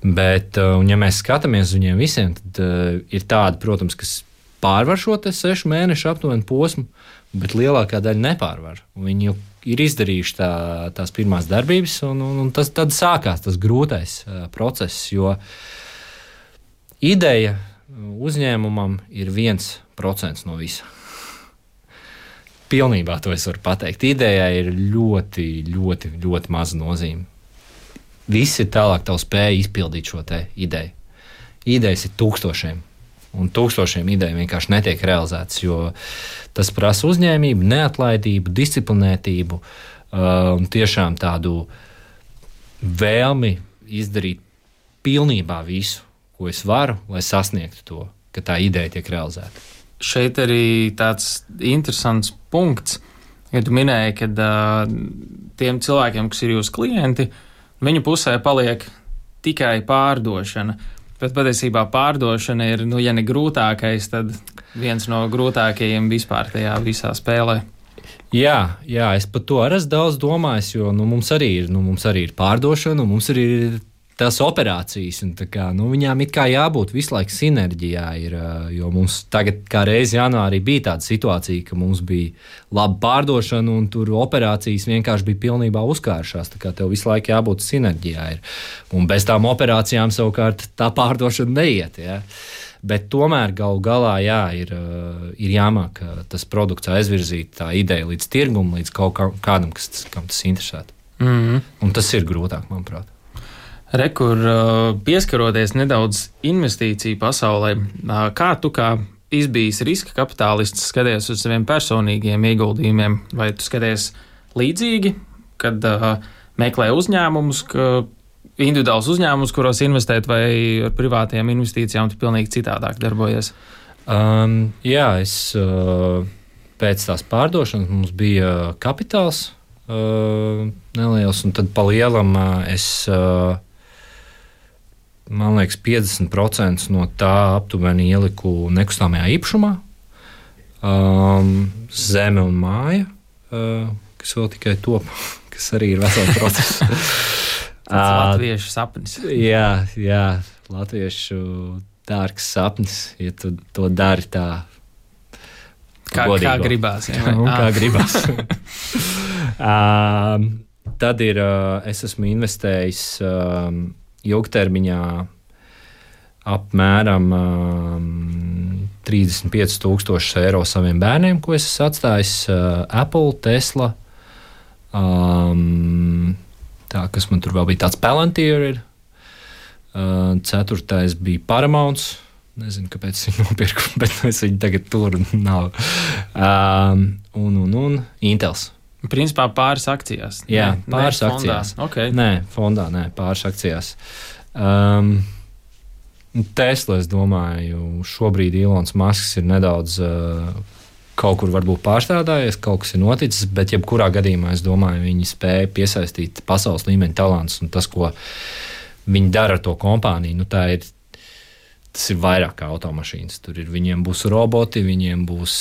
Bet, uh, un ja mēs skatāmies uz viņiem visiem, tad uh, ir tādi, protams, kas pārvar šo te sešu mēnešu aptuveni posmu, bet lielākā daļa nepārvar. Viņi jau ir izdarījuši tā, tās pirmās darbības, un, un, un tas, tad sākās tas grūtais uh, process, jo ideja uzņēmumam ir viens procents no visa. Pilnībā to es varu pateikt. Idejai ir ļoti, ļoti, ļoti maza nozīme. Viss ir tālāk tavu spēju izpildīt šo te ideju. Idejas ir tūkstošiem. Un tūkstošiem ideju vienkārši netiek realizētas, jo tas prasa uzņēmību, neatlaidību, disciplinētību uh, un tiešām tādu vēlmi izdarīt pilnībā visu, ko es varu, lai sasniegtu to, ka tā ideja tiek realizēta. Šeit arī tāds interesants punkts, ja tu minēji, ka uh, tiem cilvēkiem, kas ir jūsu klienti, viņu pusē paliek tikai pārdošana. Bet patiesībā pārdošana ir, nu, ja ne grūtākais, tad viens no grūtākajiem vispār tajā visā spēlē. Jā, jā, es par to arī esmu daudz domājis, jo nu, mums, arī ir, nu, mums arī ir pārdošana, un mums arī ir tās operācijas, un tā kā, nu, viņām it kā jābūt visu laiku sinerģijā, ir, jo mums tagad kā reizi janvārī bija tāda situācija, ka mums bija laba pārdošana, un tur operācijas vienkārši bija pilnībā uzkāršās, tā kā tev visu laiku jābūt sinerģijā. Ir. Un bez tām operācijām savukārt tā pārdošana neiet, jā. Bet tomēr galu galā, jā, ir, ir jāmāk tas produkts aizvirzīt tā ideja līdz tirgumam, līdz kaut kādam, kas, kam tas interesētu. Mm-hmm. Un tas ir grūtāk, manuprāt. Rekur, pieskaroties nedaudz investīciju pasaulē, kā tu kā izbijis riska kapitālists, skaties uz saviem personīgiem ieguldījumiem, vai tu skaties līdzīgi, kad uh, meklē uzņēmumus, ka individuāls uzņēmums, kuros investēt, vai ar privātajām investīcijām tu pilnīgi citādāk darbojies? Um, jā, es uh, pēc tās pārdošanas mums bija kapitāls uh, neliels, un tad pa lielam uh, es, uh, man liekas, piecdesmit procenti no tā aptuveni ieliku nekustamajā īpašumā, um, zeme un māja, uh, kas vēl tikai top, kas arī ir vesels process. Tas latviešu sapnis. Jā, jā, latviešu dārgs sapnis, ja tu to dari tā kā, kā gribās. Jā, un, kā gribās. um, tad ir, uh, es esmu investējis um, ilgtermiņā apmēram um, trīsdesmit pieci tūkstoši eiro saviem bērniem, ko es esmu atstājis uh, Apple, Tesla. Um, Tā, kas man tur vēl bija tāds Palantir ir. Uh, ceturtais bija Paramounts. Nezinu, kāpēc viņu nopirku, bet es viņu tagad tur nav. Um, un, un, un Intels. Principā pāris akcijās. Jā, nē, pāris nē, akcijās. Fondā. Okay. Nē, fondā, nē, pāris akcijās. Um, Tesla, es domāju, šobrīd Ilons Masks ir nedaudz... Uh, Kaut kur varbūt pārstrādājies, kaut kas ir noticis, bet jebkurā gadījumā es domāju, viņi spēja piesaistīt pasaules līmeņa talantus, un tas, ko viņi dara ar to kompāniju, nu tā ir, tas ir vairāk kā automašīnas. Tur ir, viņiem būs roboti, viņiem būs,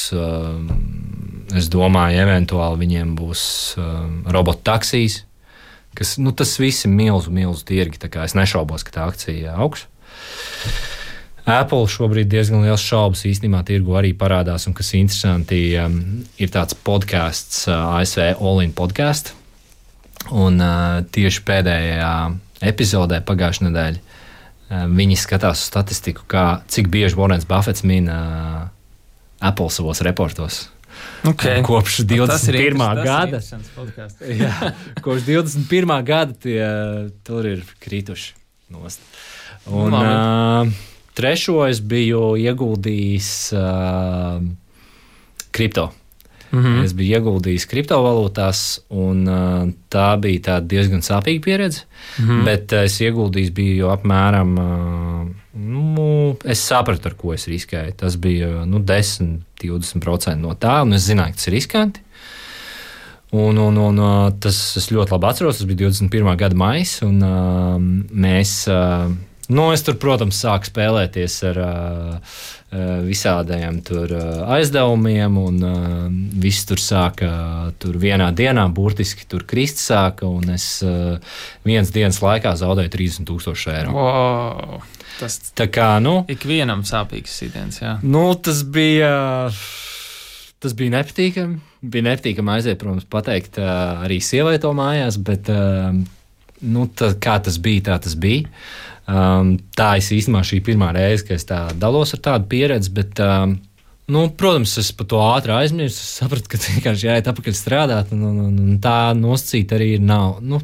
es domāju, eventuāli viņiem būs robotu taksijas, kas, nu tas viss ir milzu, milzu tirgi, tā kā es nešaubos, ka tā akcija augs. Apple šobrīd diezgan liels šaubas īstenībā tirgu arī parādās, un kas interesanti, um, ir tāds podcasts, uh, A S V All-in podkast, un uh, tieši pēdējā epizodē pagājušajā nedēļā uh, viņi skatās uz statistiku, kā, cik bieži Warrens Buffets min uh, Apple savos reportos. Okay. Kopš divdesmit pirmā gada. Jā, kopš divdesmit pirmā gada tie tur ir krituši nost. Un, nu, uh, Trešo es biju ieguldījis uh, kripto. Mm-hmm. Es biju ieguldījis kriptovalūtās, un uh, tā bija tāda diezgan sāpīga pieredze. Mm-hmm. Bet uh, es ieguldījis biju apmēram, uh, nu, es sapratu, ar ko es riskēju. Tas bija nu, desmit līdz divdesmit procenti no tā, un es zināju, ka tas ir riskanti. Un, un, un uh, tas es ļoti labi atceros, tas bija divdesmit pirmā gada maijs, un uh, mēs... Uh, Nu, es tur, protams, sāku spēlēties ar uh, visādiem tur, uh, aizdevumiem, un uh, viss tur sāka tur vienā dienā, burtiski tur krist sāka, un es uh, vienas dienas laikā zaudēju trīsdesmit tūkstoši eiro. Wow, tas tā kā, nu... ikvienam sāpīgs sitiens, jā. Nu, tas bija... Tas bija nepatīkami. Bija nepatīkami aiziet, protams, pateikt uh, arī sievai to mājās, bet uh, nu, tā, kā tas bija, tā tas bija. Um, tā es īstenībā šī pirmā reize, ka es tā dalos ar tādu pieredzi, bet, um, nu, protams, es par to ātri aizmirsu. Es sapratu, ka vienkārši jāiet atpakaļ strādāt, un, un, un tā nosacīta arī ir nav, nu,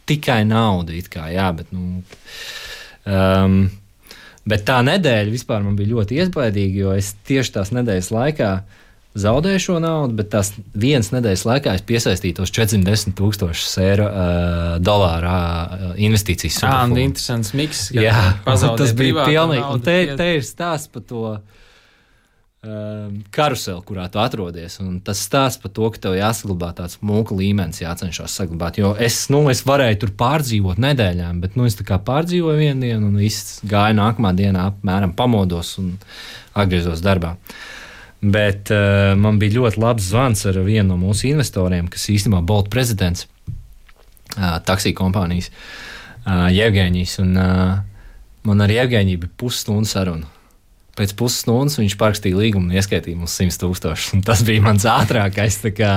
tikai nauda, it kā, jā, bet, nu, um, bet tā nedēļa vispār man bija ļoti iespaidīga, jo es tieši tās nedēļas laikā zaudēju šo naudu, bet tās vienas nedēļas laikā es piesaistīju tos četrsimt desmit tūkstošus eiro uh, dolāru uh, investīcijas. Jā, un interesants miks. Jā, tas bija pilnīgi. Un te, te ir stāsts par to um, karuseli, kurā tu atrodies. Un tas stāsts par to, ka tev jāsaglabā tāds mūka līmenis, jācenšas saglabāt. Jo es, nu, es varēju tur pārdzīvot nedēļām, bet nu, es tā kā pārdzīvoju vienu dienu un viss gāja nākamā dienā, apmēram pamodos un atgriezos darbā. Bet uh, man bija ļoti labs zvans ar vienu no mūsu investoriem, kas īstenībā Bolt prezidents, uh, taksiju kompānijas, uh, Jevgeņijs. Un uh, man ar Jevgeņiju bija pusstundu saruna. Pēc pusstundas viņš parakstīja līgumu un ieskaitīja mums simt tūkstošus. Tas bija mans ātrākais. Tā kā,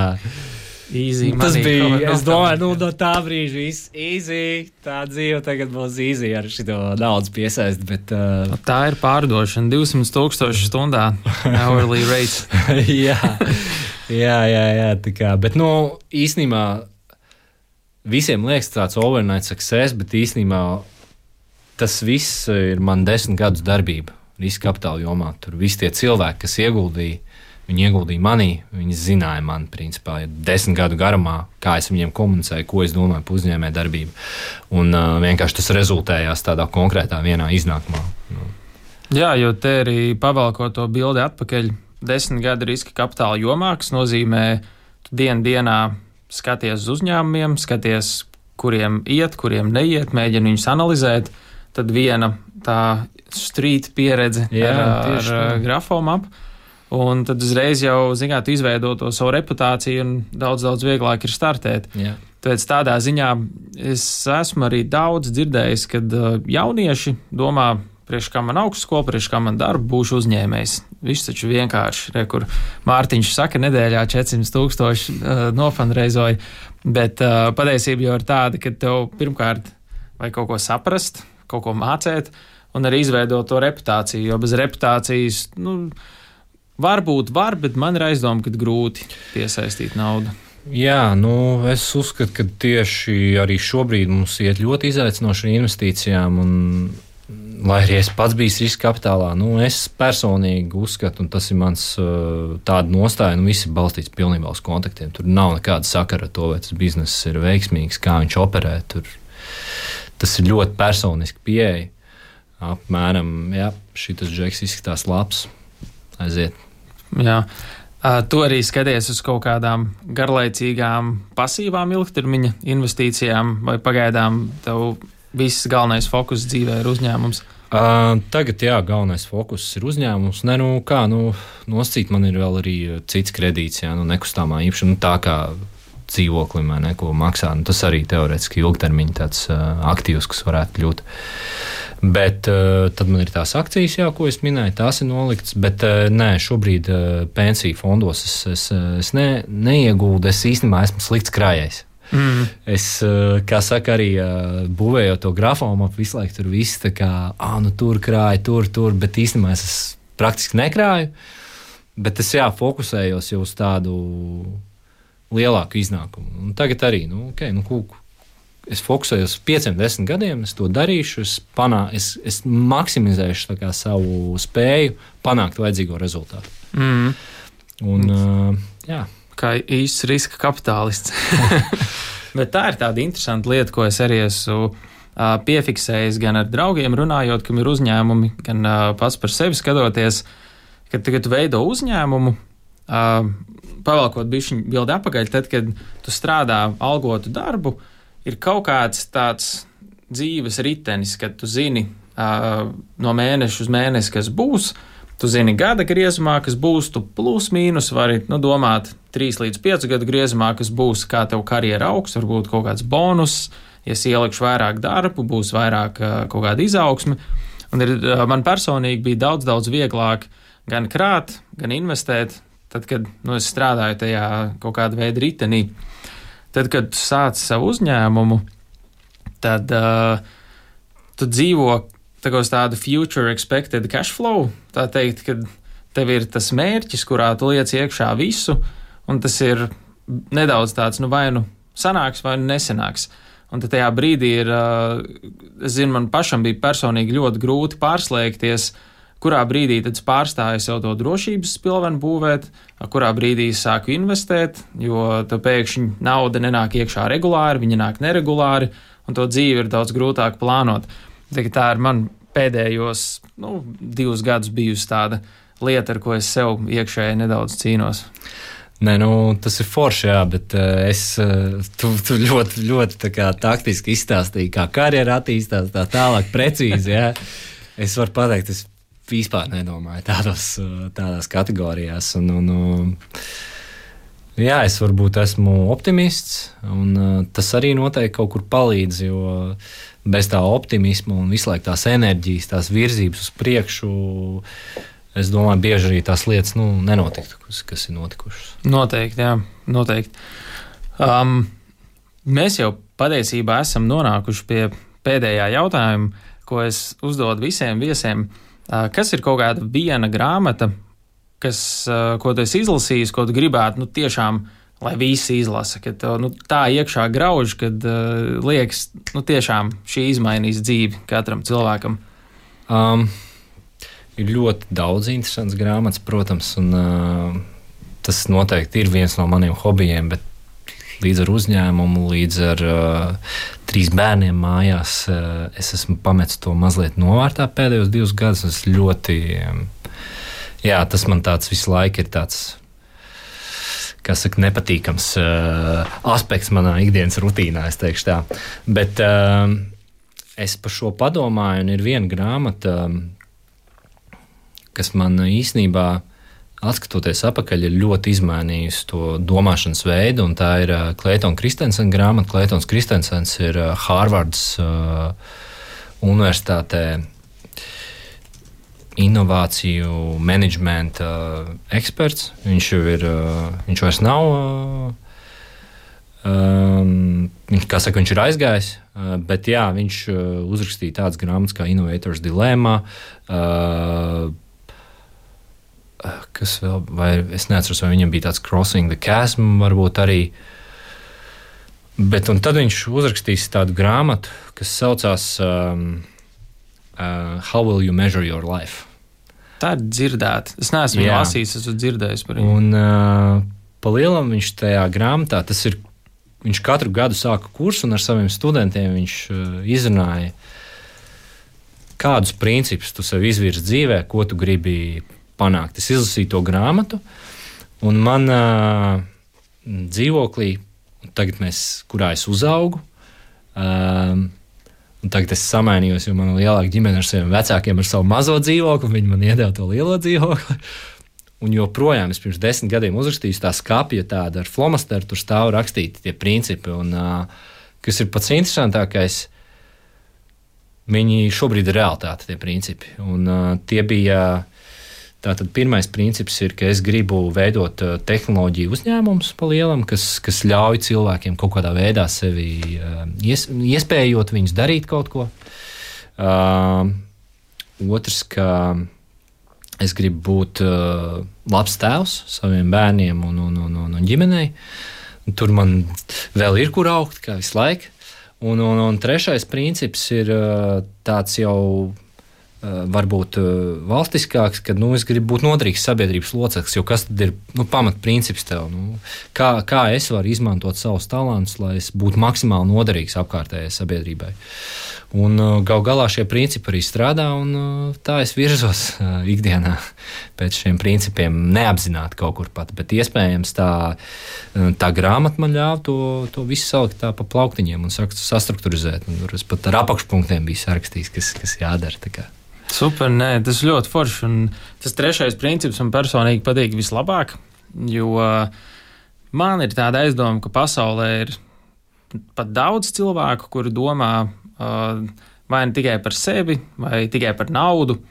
easy tas money, bija, es domāju, nu, no tā brīža viss easy. Tā dzīve tagad būs easy ar šito naudas piesaisti. Bet, uh... tā ir pārdošana. divsimt tūkstoši stundā. Hourly rate. jā, jā, jā, jā. Tā kā, bet, nu, īstenībā visiem liekas tāds overnight success, bet īstenībā tas viss ir man desmit gadus darbība. riska kapitāla jomā. Tur visi tie cilvēki, kas ieguldīja, viņi ieguldīja manī, viņi zināja mani, principā, ja desmit gadu garumā, kā es viņiem komunicēju, ko es domāju par uzņēmē darbību. Un uh, vienkārši tas rezultējās tādā konkrētā vienā iznākumā. Nu. Jā, jo te arī pavalko to bildi atpakaļ desmit gadu riska kapitāla jomā, kas nozīmē, tu dienu dienā skaties uz uzņēmumiem, skaties, kuriem iet, kuriem neiet, mēģini viņus analizēt, tad viena tā street pieredze Jā, ar, ar grafomapu, un tad uzreiz jau, zināt, tu izveido to savu reputāciju un daudz, daudz vieglāk ir startēt. Jā. Tāpēc tādā ziņā es esmu arī daudz dzirdējis, kad jaunieši domā, priekš kā man augstskola, priekš kā man darba, būšu uzņēmējs. Viss taču vienkārši, re, kur Mārtiņš saka, nedēļā četrsimt tūkstoši uh, nofandreizoja, bet uh, patiesība jau ir tāda, ka tev pirmkārt vajag kaut ko saprast, kaut ko mācēt un arī izveidot to reputāciju, jo bez reputācijas, nu, varbūt var, bet man ir aizdoma, ka grūti piesaistīt naudu. Jā, nu, es uzskatu, ka tieši arī šobrīd mums iet ļoti izaicinoši ar investīcijām, un, lai arī es pats biju riska kapitālā, nu, es personīgi uzskatu, un tas ir mans tāda nostāja, nu, viss ir balstīts pilnībā uz kontaktiem. Tur nav nekāda sakara ar to, vai tas bizness ir veiksmīgs, kā viņš operē. Tur, tas ir ļoti personiski pieeja. Apmēram, jā, šitas džeks izskatās labs, aiziet. Jā. Tu arī skaties uz kaut kādām garlaicīgām, pasīvām ilgtermiņa investīcijām, vai pagaidām tev viss galvenais fokus dzīvē ir uzņēmums? Uh, tagad, jā, galvenais fokus ir uzņēmums. Ne, nu, kā, nu, noscīt man ir vēl arī cits kredīts, jā, nu, nekustamā īpašuma, nu, tā kā dzīvoklim, vai ne, ko maksā. Nu, tas arī teorētiski ilgtermiņa tāds uh, aktīvs, kas varētu kļūt. Bet uh, tad man ir tās akcijas, jā, ko es minēju, tās ir noliktas, bet uh, nē, šobrīd uh, pensiju fondos es, es, es ne, neieguldu, es īstenībā esmu slikts krājējs. Mm. Es, uh, kā saka, arī uh, būvējot to grafomu, visu laiku tur viss tā kā, ah, nu tur krāju, tur, tur, bet īstenībā es, es praktiski nekrāju, bet es, jā, fokusējos jau uz tādu lielāku iznākumu. Un tagad arī, nu, ok, nu, kūku. Es fokusējos uz pieciem, desmit gadiem, es to darīšu, es, panā, es, es maksimizēšu tā kā savu spēju panākt vajadzīgo rezultātu. Mm. Un, uh, jā. Kā īsts riska kapitālists. Bet tā ir tāda interesanta lieta, ko es arī esmu uh, piefiksējis gan ar draugiem runājot, kam ir uzņēmumi, gan uh, pats par sevi skatoties, kad tagad tu veido uzņēmumu, uh, pavalkot bišķiņu bildi apakaļ, tad, kad tu strādā algotu darbu, ir kaut kāds tāds dzīves ritenis, kad tu zini uh, no mēneša uz mēnesi, kas būs, tu zini gada griezumā, kas būs, tu plus mīnus vari, nu, domāt trīs līdz piecu gadu griezumā, kas būs, kā tev karjera augs, varbūt kaut kāds bonus, ja es ielikšu vairāk darbu, būs vairāk uh, kaut kāda izaugsme. Un ir, uh, man personīgi bija daudz, daudz vieglāk gan krāt, gan investēt, tad, kad, nu, es strādāju tajā kaut kāda veida ritenī. Tad, kad tu sāc savu uzņēmumu, tad uh, tu dzīvo tā kā uz tādu future expected cash flow. Tā teikt, ka tev ir tas mērķis, kurā tu liec iekšā visu, un tas ir nedaudz tāds, nu, vai nu sanāks, vai nu nesanāks. Un tad tajā brīdī ir, uh, es zinu, man pašam bija personīgi ļoti grūti pārslēgties, kurā brīdī tad es pārstāju sev to drošības spilvenu būvēt, kurā brīdī es sāku investēt, jo tā pēkšņi nauda nenāk iekšā regulāri, viņa nāk neregulāri, un to dzīvi ir daudz grūtāk plānot. Tā, tā ir man pēdējos, nu, divus gadus bijusi tāda lieta, ar ko es sev iekšēji nedaudz cīnos. Nē, nu, tas ir forši, jā, bet uh, es, uh, tu, tu ļoti, ļoti tā kā taktiski izstāstīji, kā karjera attīstās, tā tālāk precīzi, jā. Es varu pateikt, es vispār nedomāju tādos, tādās kategorijās. Un, un, jā, es varbūt esmu optimists, un tas arī noteikti kaut kur palīdz, jo bez tā optimisma un visu laiku tās enerģijas, tās virzības uz priekšu, es domāju, bieži arī tās lietas, nu, nenotiktu, kas, kas ir notikušas. Noteikti, jā, noteikti. Um, mēs jau patiesībā esam nonākuši pie pēdējā jautājuma, ko es uzdodu visiem viesiem. Kas ir kaut kāda viena grāmata, kas, ko tu esi izlasījis, ko tu gribētu, nu, tiešām, lai visi izlasa, ka tev, nu, tā iekšā grauž, kad uh, liekas, nu, tiešām šī izmainīs dzīvi katram cilvēkam? Um, ir ļoti daudz interesants grāmatas, protams, un uh, tas noteikti ir viens no maniem hobijiem, bet līdz ar uzņēmumu, līdz ar uh, trīs bērniem mājās, uh, es esmu pametis to mazliet novārtā pēdējos divus gadus. Es ļoti, um, jā, tas man tāds visu laiku ir tāds, kā saka, nepatīkams uh, aspekts manā ikdienas rutīnā, es teikšu tā. Bet uh, es par šo padomāju, un ir viena grāmata, kas man īstenībā, atskatoties atpakaļ, ir ļoti izmainījusi to domāšanas veidu, un tā ir Kleitona Kristensena grāmata. Kleitons Kristensens ir Hārvardas uh, universitātē inovāciju menedžmenta uh, eksperts. Viņš jau ir, uh, viņš vairs nav, uh, um, viņš, kā saka, viņš ir aizgājis, uh, bet jā, viņš uh, uzrakstīja tādas grāmatas kā Innovators Dilemma, uh, kas vēl, vai es neatceros, vai viņam bija tāds Crossing the Chasm, varbūt arī. Bet un tad viņš uzrakstīs tādu grāmatu, kas saucās um, uh, How Will You Measure Your Life? Tā ir dzirdēta. Es neesmu viņu lasījis, esmu dzirdējis par viņu. Un uh, pa lielam viņš tajā grāmatā, tas ir, viņš katru gadu sāka kursu, un ar saviem studentiem viņš uh, izrunāja, kādus principus tu sev izvirzi dzīvē, ko tu gribi panākt. Es izlasīju to grāmatu, un man uh, dzīvoklī, tagad mēs, kurā es uzaugu, uh, un tagad es samainījos, jo man ir lielāka ģimene ar saviem vecākiem, ar savu mazo dzīvokli, un viņi man iedeva to lielo dzīvokli. Un joprojām es pirms desmit gadiem uzrakstīju tā skapja tāda ar flomasteru, tur stāv rakstīti tie principi, un uh, kas ir pats interesantākais, viņi šobrīd ir realitāte, tie principi. Un uh, tie bija Tātad pirmais princips ir, ka es gribu veidot tehnoloģiju uzņēmumus pa lielam, kas, kas ļauj cilvēkiem kaut kādā veidā sevi ies, iespējot viņus darīt kaut ko. Uh, otrs, ka es gribu būt uh, labs tēvs saviem bērniem un, un, un, un, un ģimenei. Un tur man vēl ir kur augt, kā visu laiku. Un, un, un trešais princips ir uh, tāds jau varbūt valstiskāks, kad nu, es gribu būt noderīgs sabiedrības loceklis, jo kas tad ir nu, pamatprincips tev? Nu, kā, kā es varu izmantot savus talantus, lai es būtu maksimāli noderīgs apkārtējai sabiedrībai. Un gal galā šie principi arī strādā, un tā es virzos ikdienā pēc šiem principiem neapzināti kaut kur pat, bet iespējams tā, tā grāmata man ļāva to, to visu salikt tā pa plauktiņiem un sastrukturizēt. Un tur es pat ar apakšpunktiem biju sarakstījis, kas, kas jādara. Tā kā. Super, nē, tas ir ļoti forši. Un tas trešais princips man personīgi patīk vislabāk, jo man ir tāda aizdoma, ka pasaulē ir pat daudz cilvēku, kuri domā uh, vai ne tikai par sevi, vai tikai par naudu.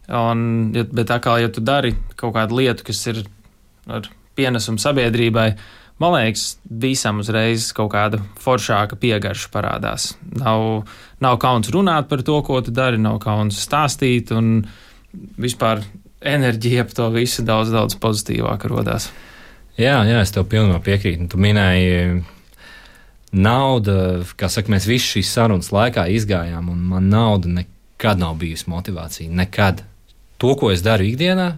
Un, bet atkal, ja tu dari kaut kādu lietu, kas ir ar pienesumu sabiedrībai, man liekas, visam uzreiz kaut kāda foršāka piegarša parādās. Nav, nav kauns runāt par to, ko tu dari, nav kauns stāstīt, un vispār enerģija ap to visu daudz, daudz pozitīvāk rodās. Jā, jā, es tev pilnībā piekrītu. Tu minēji nauda, kā saka, mēs visi šīs sarunas laikā izgājām, un man nauda nekad nav bijusi motivācija. Nekad. To, ko es daru ikdienā,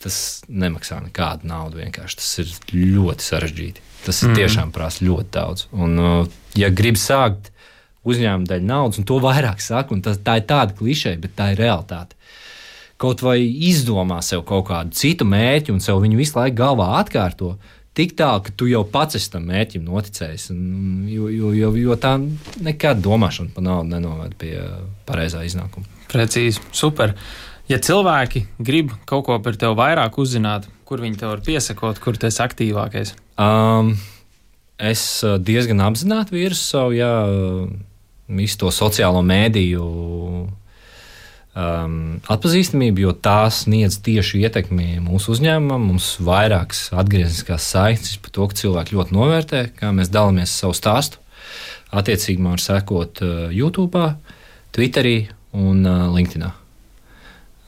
tas nemaksā nekādu naudu vienkārši. Tas ir ļoti sarežģīti. Tas mm. tiešām prasa ļoti daudz. Un, ja grib sākt uzņēmumu dēļ naudas, un to vairāk saka, un tas, tā ir tāda klišeja, bet tā ir realitāte. Kaut vai izdomā sev kaut kādu citu mērķi, un sev viņu visu laiku galvā atkārto, tik tālu, ka tu jau pats esi tam mērķim noticējis. Un, jo, jo, jo, jo tā nekad domāšana par naudu nenoved pie pareizā iznākuma. Precīzi, super. Ja cilvēki grib kaut ko par tevi vairāk uzzināt, kur viņi tev var piesakot, kur tu esi aktīvākais? Um, es diezgan apzināti virzu savu, jā, visu to sociālo mēdīju um, atpazīstamību, jo tās sniedz tieši ietekmi mūsu uzņēmumam. Mums vairākas atgriezniskās saiknes par to, ka cilvēki ļoti novērtē, kā mēs dalāmies savu stāstu. Attiecīgi man var sekot uh, YouTube, Twitterī un uh, LinkedInā.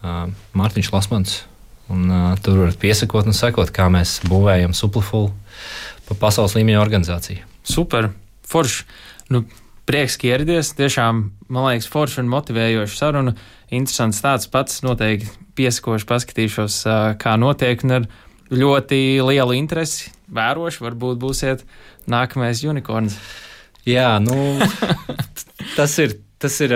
Uh, Mārtiņš Lasmans, un uh, tur varat piesakot un sekot, kā mēs būvējam Supliful pa pasaules līmeņa organizāciju. Super, forši. Nu, prieks, ka ieradies. Tiešām, man liekas, forši un motivējoši saruna. Interesants tāds pats, noteikti piesakoši paskatīšos, kā notiek, un ar ļoti lielu interesi vēroši, varbūt būsiet nākamais unikorns. Jā, nu, tas ir, tas ir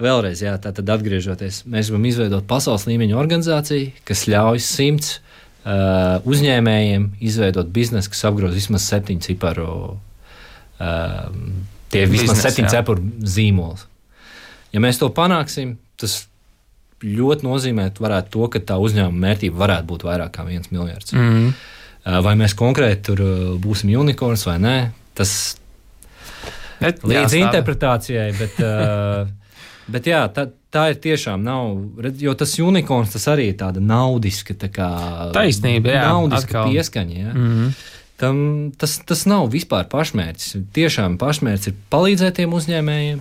vēlreiz, jā, tātad atgriežoties. Mēs gribam izveidot pasaules līmeņa organizāciju, kas ļauj simts uh, uzņēmējiem izveidot biznesu, kas apgroz vismaz septiņu ciparu, uh, tie vismaz Biznes, septiņu jā. ciparu zīmols. Ja mēs to panāksim, tas ļoti nozīmē varētu to, ka tā uzņēmuma mērķība varētu būt vairāk kā viens miljards. Mm-hmm. Vai mēs konkrēti tur būsim unikorns vai nē, tas Bet, līdz jā, interpretācijai, bet, bet jā, tā, tā ir tiešām nav, jo tas unikorns tas arī ir tāda naudiska, tā kā taisnība, jā, naudiska atkal. pieskaņa. Jā. Mm-hmm. Tam, tas, tas nav vispār pašmērķis. Tiešām pašmērķis ir palīdzēt tiem uzņēmējiem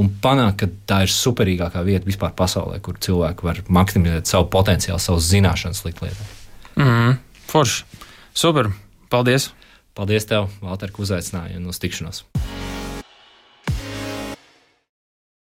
un panākt, ka tā ir superīgākā vieta vispār pasaulē, kur cilvēki var maksimizēt savu potenciālu, savas zināšanas likt lietā. Mm-hmm. Forši. Super. Paldies. Paldies tev, Valter, ka uzaicināji un uz tikšanos.